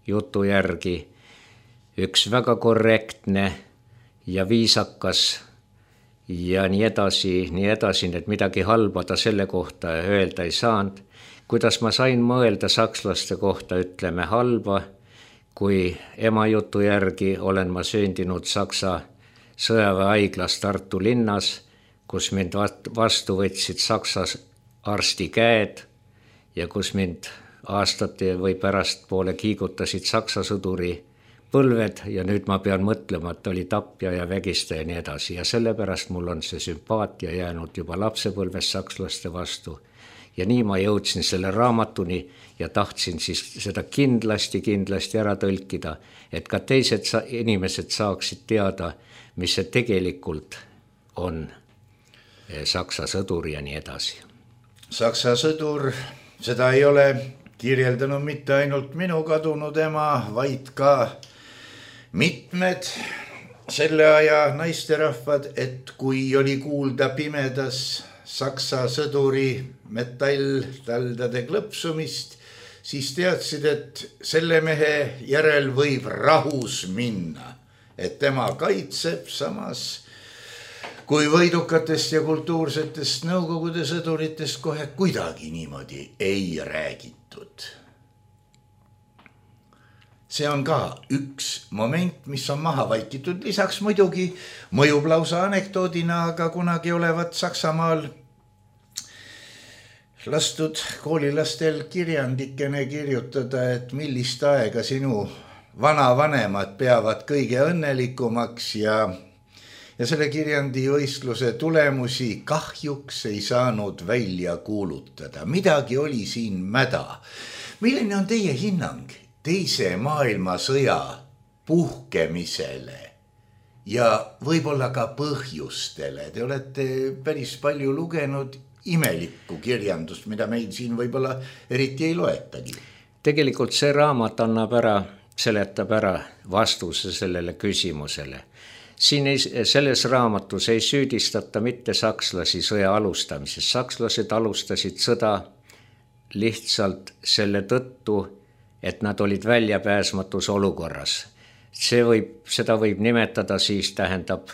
jutu järgi üks väga korrektne ja viisakas ja nii edasi, et midagi halba ta selle kohta öelda ei saanud. Kuidas ma sain mõelda sakslaste kohta, ütleme halba, kui ema jutu järgi olen ma sündinud Saksa sõjaväehaiglas Tartu linnas, kus mind vastu võtsid Saksa arsti käed ja kus mind aastate või pärastpoole kiigutasid Saksa sõduri põlved ja nüüd ma pean mõtlema, et oli tapja ja vägistaja ja nii edasi ja sellepärast mul on see sümpaatia jäänud juba lapsepõlves sakslaste vastu. Ja nii ma jõudsin selle raamatuni ja tahtsin siis seda kindlasti ära tõlkida, et ka teised inimesed saaksid teada, mis see tegelikult on Saksa sõdur ja nii edasi. Saksa sõdur, seda ei ole kirjeldanud mitte ainult minu kadunud ema, vaid ka mitmed selle aja naisterahvad, et kui oli kuulda pimedas Saksa sõduri metalltaldade klõpsumist, siis teadsid, et selle mehe järel võib rahus minna, et tema kaitseb samas kui võidukatest ja kultuursetest Nõukogude sõduritest kohe kuidagi niimoodi ei räägitud. See on ka üks moment, mis on maha vaikitud. Lisaks muidugi mõjub lausa anekdoodina, aga kunagi olevat Saksamaal lastud koolilastel kirjandikene kirjutada, et millist aega sinu vanavanemad peavad kõige õnnelikumaks ja selle kirjandivõistluse tulemusi kahjuks ei saanud välja kuulutada. Midagi oli siin mäda. Milline on teie hinnang Teise maailmasõja puhkemisele ja võib-olla ka põhjustele? Te olete päris palju lugenud imelikku kirjandust, mida meil siin võib-olla eriti ei loetagi. Tegelikult see raamat seletab ära vastuse sellele küsimusele. Siin selles raamatus ei süüdistata mitte sakslasi sõja alustamises. Sakslased alustasid sõda lihtsalt selle tõttu, et nad olid väljapääsmatus olukorras. Seda võib nimetada siis tähendab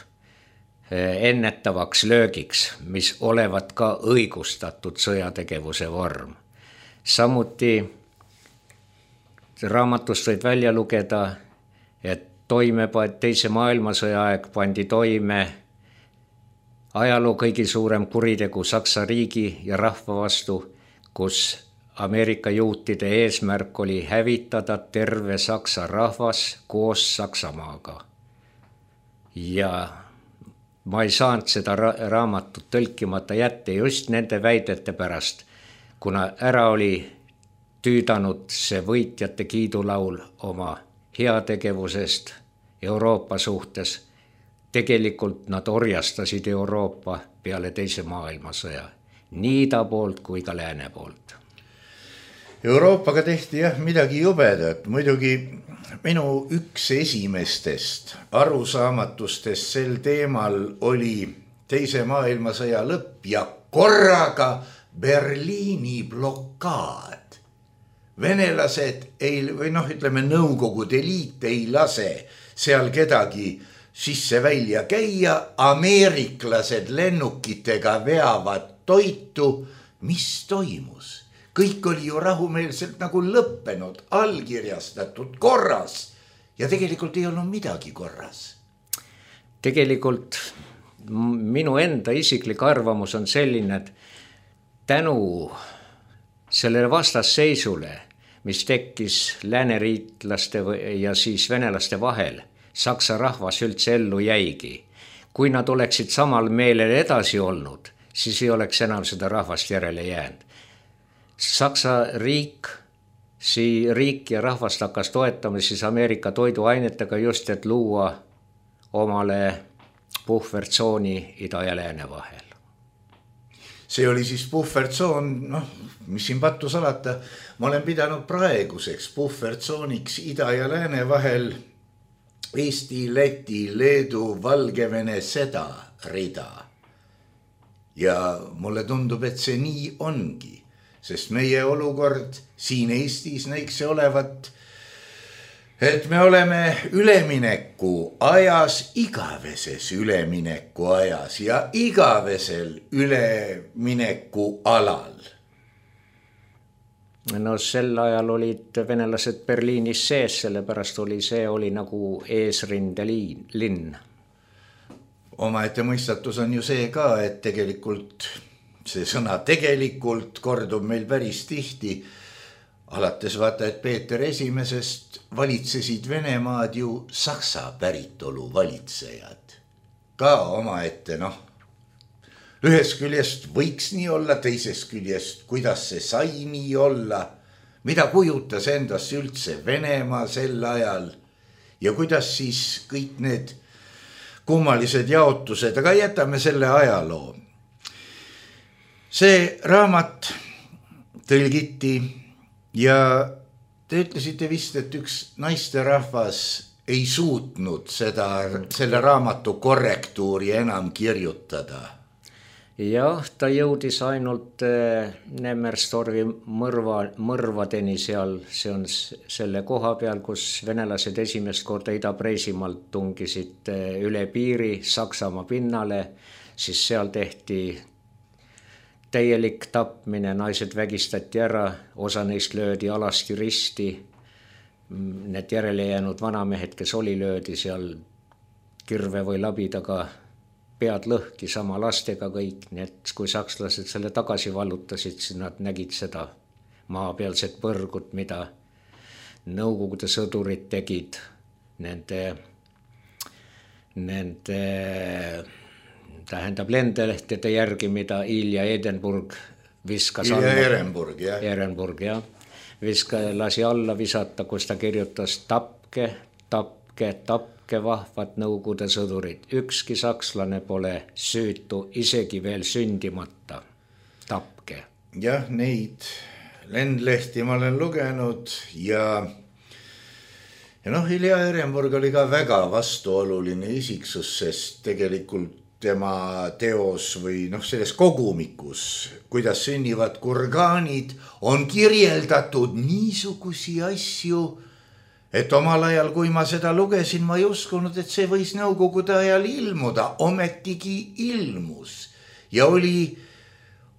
ennetavaks löögiks, mis olevat ka õigustatud sõjategevuse vorm. Samuti raamatust võid välja lugeda, et Teise maailmasõja aeg pandi toime ajaloo kõigi suurem kuritegu Saksa riigi ja rahva vastu, kus Ameerika juutide eesmärk oli hävitada terve Saksa rahvas koos Saksamaaga. Ja ma ei saanud seda raamatut tõlkimata jätta just nende väidete pärast, kuna ära oli tüüdanud see võitjate kiidulaul oma heategevusest Euroopa suhtes. Tegelikult nad orjastasid Euroopa peale Teise maailmasõja, nii ida poolt kui ka lääne poolt. Euroopaga tehti midagi jubedat. Muidugi minu üks esimestest arusaamatustest sel teemal oli Teise maailmasõja lõpp ja korraga Berliini blokaad. Venelased ütleme Nõukogude Liit ei lase seal kedagi sisse välja käia, ameeriklased lennukitega veavad toitu. Mis toimus? Kõik oli ju rahumeelselt nagu lõppenud, allkirjastatud, korras ja tegelikult ei olnud midagi korras. Tegelikult minu enda isiklik arvamus on selline, et tänu sellele vastasseisule, mis tekkis lääneriitlaste ja siis venelaste vahel, Saksa rahvas üldse ellu jäigi. Kui nad oleksid samal meelel edasi olnud, siis ei oleks enam seda rahvast järele jäänud. Saksa riik ja rahvast hakkas toetama siis Ameerika toiduainetega just, et luua omale puhvertsooni ida ja lääne vahel. See oli siis puhvertsoon, mis siin pattu salata, ma olen pidanud praeguseks puhvertsooniks ida ja lääne vahel Eesti, Läti, Leedu, Valgevene seda rida. Ja mulle tundub, et see nii ongi, sest meie olukord siin Eestis näiks see olevat, et me oleme ülemineku ajas, igaveses ülemineku ajas ja igavesel ülemineku alal. No sel ajal olid venelased Berliinis sees, sellepärast see oli nagu eesrindelinn. Omaette mõistatus on ju see ka, et tegelikult see sõna tegelikult kordub meil päris tihti. Alates vaata, et Peeter Esimesest valitsesid Venemaad ju saksa päritolu valitsejad. Ka omaette, ühest küljest võiks nii olla, teisest küljest, kuidas see sai nii olla, mida kujutas endast üldse Venemaa sel ajal ja kuidas siis kõik need kummalised jaotused, aga jätame selle ajaloo. See raamat tõlgiti ja te ütlesite vist, et üks naisterahvas ei suutnud selle raamatu korrektuuri enam kirjutada. Jah, ta jõudis ainult Nemmerstorvi mõrvadeni seal, see on selle koha peal, kus venelased esimest korda Ida-Preisimaalt tungisid üle piiri Saksamaa pinnale, siis seal tehti täielik tapmine, naised vägistati ära, osa neist löödi alasti risti, need järele jäänud vanamehed, kes oli löödi seal kirve või labidaga, pead lõhki sama lastega kõik, nii et kui sakslased selle tagasi vallutasid, siis nad nägid seda maapealset põrgut, mida Nõukogude sõdurid tegid nende lendelehtede järgi, mida Ilja Ehrenburg viskas alla. Ehrenburg, jah. Ehrenburg, jah. Lasi alla visata, kus ta kirjutas tapke vahvad Nõukogude sõdurid. Ükski sakslane pole süütu, isegi veel sündimata. Tapke. Jah, neid lendlehti ma olen lugenud ja Ilja Ehrenburg oli ka väga vastuoluline isiksus, sest tegelikult tema teos või selles kogumikus, kuidas sünnivad kurgaanid, on kirjeldatud niisugusi asju, et omal ajal, kui ma seda lugesin, ma ei uskunud, et see võis Nõukogude ajal ilmuda, ometigi ilmus ja oli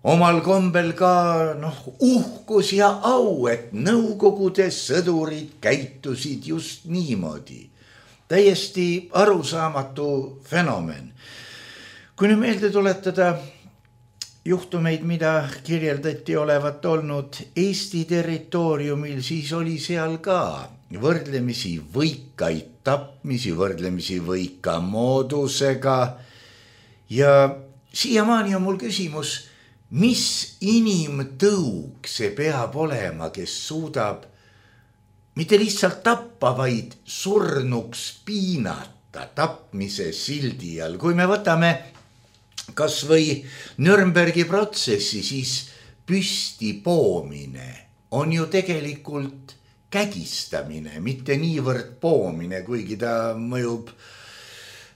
omal kombel ka uhkus ja au, et Nõukogude sõdurid käitusid just niimoodi. Täiesti arusaamatu fenomen. Kui nüüd meelde tuletada juhtumeid, mida kirjeldati olevat olnud Eesti territooriumil, siis oli seal ka võrdlemisi võikaid tapmisi, võrdlemisi võika moodusega ja siiamaani on mul küsimus, mis inimtõug see peab olema, kes suudab mitte lihtsalt tappa, vaid surnuks piinata tapmise sildi all. Kui me võtame kas või Nürnbergi protsessi, siis püsti poomine on ju tegelikult kägistamine, mitte niivõrd poomine, kuigi ta mõjub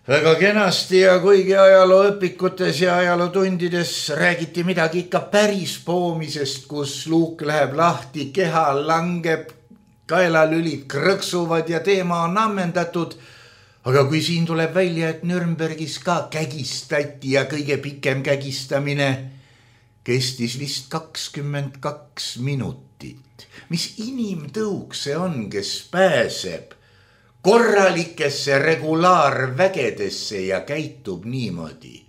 väga kenasti ja kuigi ajalooõpikutes ja ajalootundides räägiti midagi ikka päris poomisest, kus luuk läheb lahti, keha langeb, kaelalülid krõksuvad ja teema on ammendatud. Aga kui siin tuleb välja, et Nürnbergis ka kägistati ja kõige pikem kägistamine kestis vist 22 minutit. Mis inimtõug see on, kes pääseb korralikesse regulaarvägedesse ja käitub niimoodi?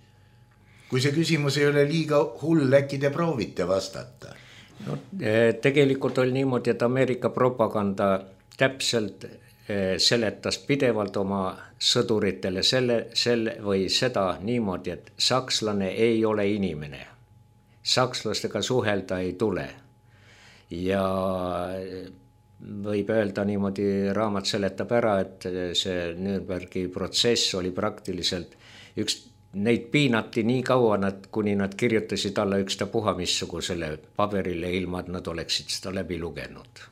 Kui see küsimus ei ole liiga hull, äkki te proovite vastata? Tegelikult oli niimoodi, et Ameerika propaganda täpselt seletas pidevalt oma sõduritele selle või seda niimoodi, et sakslane ei ole inimene. Sakslastega suhelda ei tule. Ja võib öelda niimoodi, raamat seletab ära, et see Nürnbergi protsess oli praktiliselt neid piinati nii kaua, kuni nad kirjutasid alla ükstapuha missugusele paberile, ilma et nad oleksid seda läbi lugenud.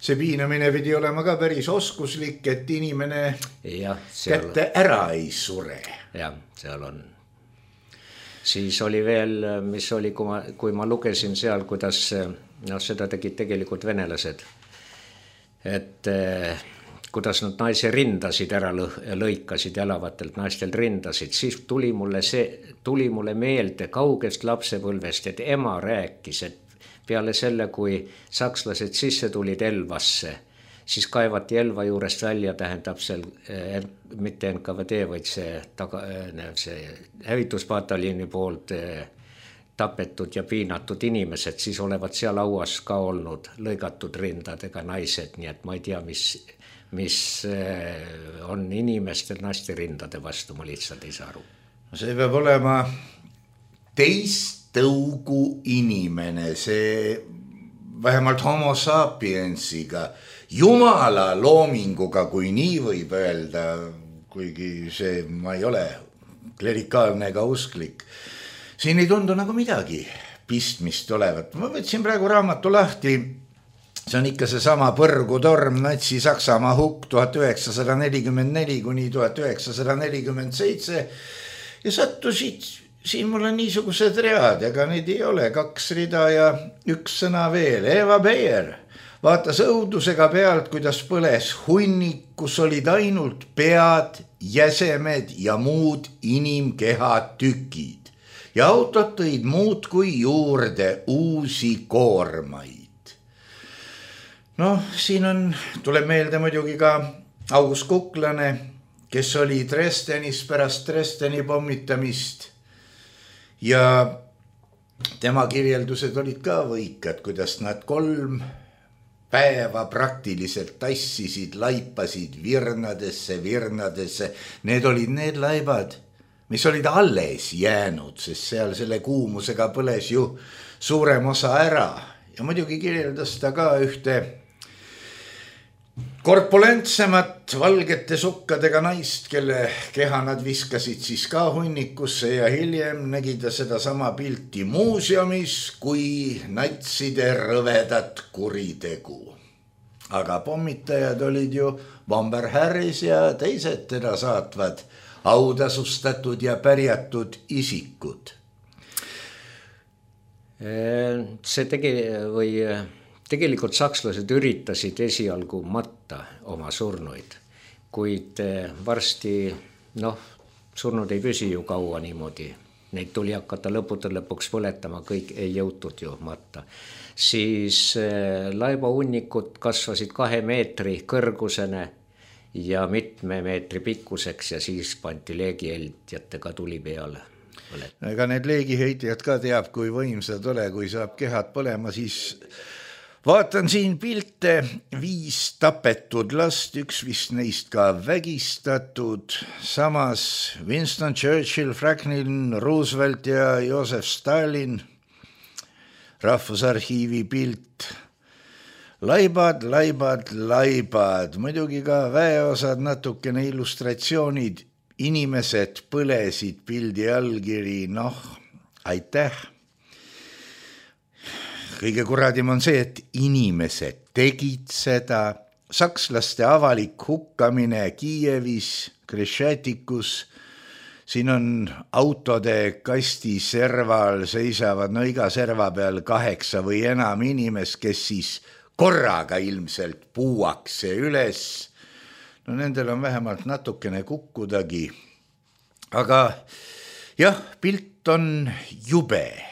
See piinamine pidi olema ka päris oskuslik, et inimene kätte ära ei sure. Jah, seal on. Siis oli veel, mis oli, kui ma lugesin seal, kuidas seda tegid tegelikult venelased, et kuidas nad naise rindasid ära lõikasid, jalavatelt naistelt rindasid, siis tuli mulle meelde kaugest lapsepõlvest, et ema rääkis, et peale selle, kui sakslased sisse tulid Elvasse, siis kaevati Elva juurest välja, tähendab seal mitte NKVD, vaid see hävituspataljoni poolt tapetud ja piinatud inimesed, siis olevat seal lauas ka olnud lõigatud rindadega naised, nii et ma ei tea, mis on inimestel naiste rindade vastu, ma lihtsalt ei saa aru. See peab olema teist tõugu inimene, see vähemalt homo sapiensiga, jumala loominguga, kui nii võib öelda, kuigi see ma ei ole klerikaalne ega usklik. Siin ei tundu nagu midagi pistmist olevat. Ma võtsin praegu raamatu lahti, see on ikka see sama põrgutorm, Natsi-Saksamaa hukk 1944 kuni 1947 ja sattusid siin mul on niisugused read, ega neid ei ole, 2 rida ja 1 sõna veel. Eva Beer vaatas õudusega pealt, kuidas põles hunnik, kus olid ainult pead, jäsemed ja muud inimkehad tükid. Ja autod tõid muud kui juurde uusi koormaid. Siin tuleb meelde muidugi ka August Kuklane, kes oli Dresdenis pärast Dresdeni pommitamist. Ja tema kirjeldused olid ka võikad, kuidas nad 3 päeva praktiliselt tassisid, laipasid virnadesse. Need olid need laibad, mis olid alles jäänud, sest seal selle kuumusega põles ju suurem osa ära. Ja muidugi kirjeldas ta ka ühte korpulentsemat valgete sukkadega naist, kelle keha nad viskasid siis ka hunnikusse ja hiljem nägi ta seda sama pilti muuseumis kui natside rõvedat kuritegu. Aga pommitajad olid ju Bomber Harris ja teised teda saatvad autasustatud ja pärjatud isikud. Tegelikult sakslased üritasid esialgu matta oma surnuid, kuid varsti, surnud ei püsi ju kaua niimoodi. Neid tuli hakata lõpuks põletama, kõik ei jõutud ju matta. Siis laibahunnikud kasvasid 2 meetri kõrgusene ja mitme meetri pikkuseks ja siis pandi leegiheitjatega tuli peale. Ega need leegiheitjad ka teab, kui võimsad ole, kui saab kehad põlema, siis vaatan siin pilte 5 tapetud last, 1 vist neist ka vägistatud, samas Winston Churchill, Franklin Roosevelt ja Joseph Stalin, Rahvusarhiivi pilt, laibad, muidugi ka väeosad, natukene illustratsioonid, inimesed põlesid, pildi allkiri, aitäh. Kõige kuradim on see, et inimesed tegid seda, sakslaste avalik hukkamine Kiievis, Krešetikus, siin on autode kasti serval, seisavad iga serva peal 8 või enam inimest, kes siis korraga ilmselt puuakse üles. Nendel on vähemalt natukene kukkudagi. Aga jah, pilt on jube.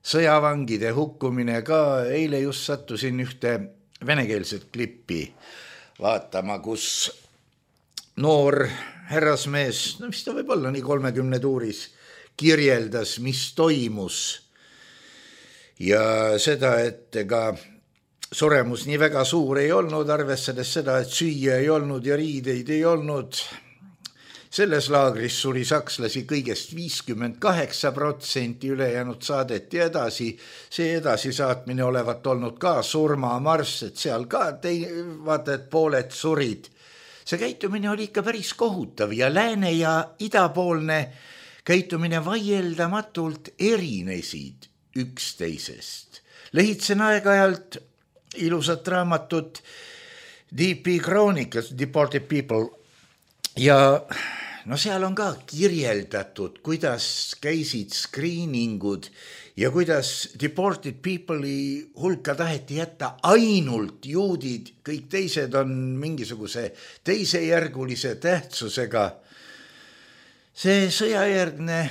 Sõjavangide hukkumine ka, eile just sattusin ühte venekeelset klippi vaatama, kus noor härrasmees, mis ta võib olla nii 30 tuuris, kirjeldas, mis toimus ja seda, et ega suremus nii väga suur ei olnud, arvestades seda, et süüa ei olnud ja riideid ei olnud. Selles laagris suri sakslasi kõigest 58%, ülejäänud saadeti edasi. See edasisaatmine olevat olnud ka surmamarss, et seal ka vaata, et pooled surid. see käitumine oli ikka päris kohutav ja lääne ja idapoolne käitumine vaieldamatult erinesid üksteisest. Lehitsen aeg-ajalt ilusat raamatut DP Chronicles, Deported People, ja no seal on ka kirjeldatud, kuidas käisid screeningud ja kuidas deported people'i hulka taheti jätta ainult juudid, kõik teised on mingisuguse teisejärgulise tähtsusega. See sõjajärgne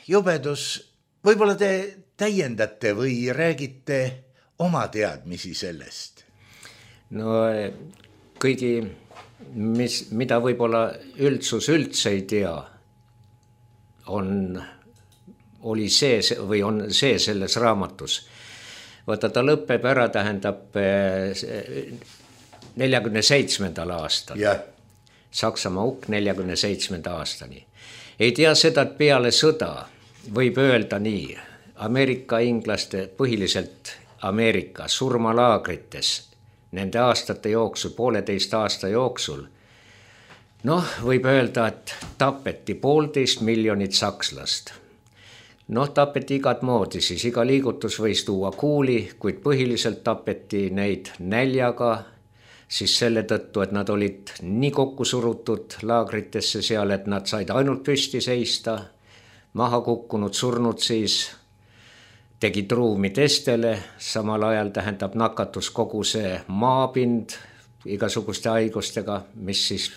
jubedus, võib-olla te täiendate või räägite oma teadmisi sellest? No kõigi, mida võib-olla üldsus üldse ei tea, oli see või on see selles raamatus. Vaata, ta lõpeb ära, tähendab 47. aastal. Yeah. Saksamaa hukk 47. aastani. Ei tea seda, et peale sõda võib öelda nii, Ameerika inglaste, põhiliselt Ameerika surmalaagrites, nende aastate jooksul, 1,5 aasta jooksul, noh, võib öelda, et tapeti 1,5 miljonit sakslast. Noh, tapeti igat moodi, siis iga liigutus võis tuua kuuli, kuid põhiliselt tapeti neid näljaga, siis selle tõttu, et nad olid nii kokku surutud laagritesse seal, et nad said ainult püsti seista, maha kukkunud, surnud siis, tegid ruumi teistele, samal ajal tähendab nakatus kogu see maapind igasuguste haigustega, mis siis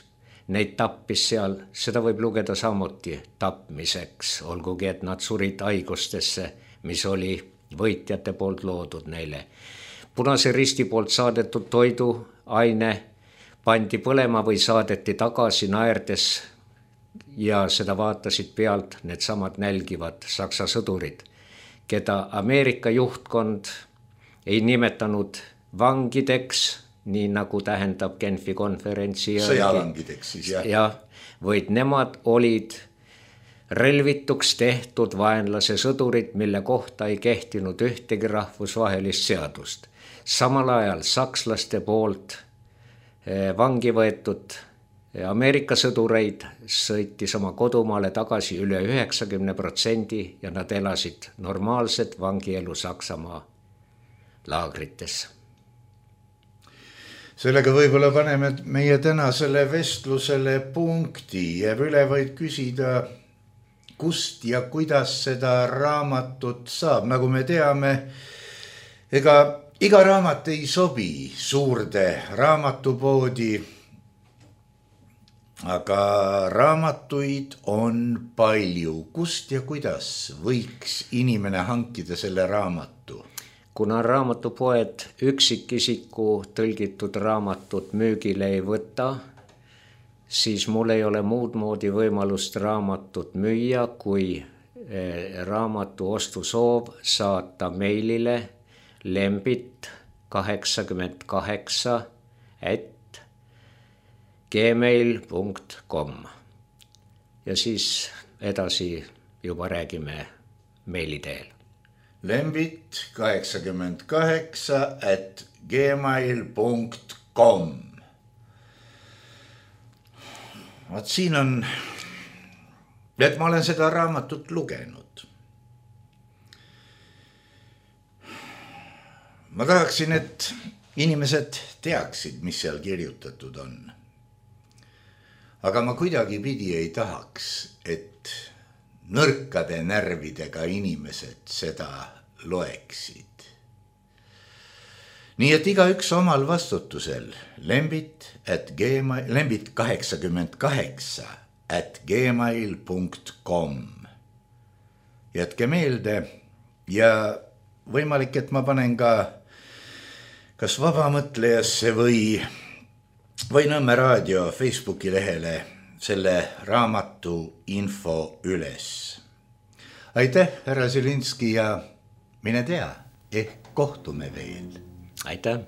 neid tappis seal, seda võib lugeda samuti tapmiseks, olgugi et nad surid haigustesse, mis oli võitjate poolt loodud neile. Punase Risti poolt saadetud toiduaine pandi põlema või saadeti tagasi naerdes ja seda vaatasid pealt needsamad nälgivad saksa sõdurid, keda Ameerika juhtkond ei nimetanud vangideks, nii nagu tähendab Genfi konverentsi sõjavangideks siis, jah. Ja, vaid nemad olid relvituks tehtud vaenlase sõdurid, mille kohta ei kehtinud ühtegi rahvusvahelist seadust. Samal ajal sakslaste poolt vangi võetud Ameerika sõdureid sõitis oma kodumaale tagasi üle 90% ja nad elasid normaalset vangielu Saksamaa laagrites. Sellega võib-olla paneme meie tänasele vestlusele punkti. Jääb üle vaid küsida, kust ja kuidas seda raamatut saab. Nagu me teame, ega iga raamat ei sobi suurde raamatupoodi, aga raamatuid on palju. Kust ja kuidas võiks inimene hankida selle raamatu? Kuna raamatupoed üksikisiku tõlgitud raamatut müügile ei võta, siis mul ei ole muud moodi võimalust raamatut müüa, kui raamatu ostusoov saata meilile lembit88@gmail.com ja siis edasi juba räägime meili teel. lembit88@gmail.com. Vaat siin on, et ma olen seda raamatut lugenud. Ma tahaksin, et inimesed teaksid, mis seal kirjutatud on. Aga ma kuidagi pidi ei tahaks, et nõrkade närvidega inimesed seda loeksid. Nii et igaüks omal vastutusel. lembit88@gmail.com. Jätke meelde ja võimalik, et ma panen ka kas Vabamõtlejasse või Nõmme raadio Facebooki lehele selle raamatu info üles. Aitäh, härra Zilinski, ja mine tea, ehk kohtume veel. Aitäh.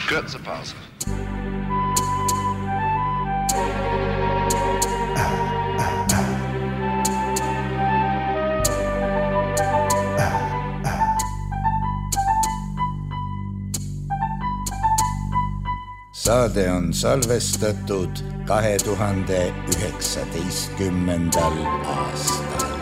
Kürzer Pause. Saade on salvestatud 2019. aastal.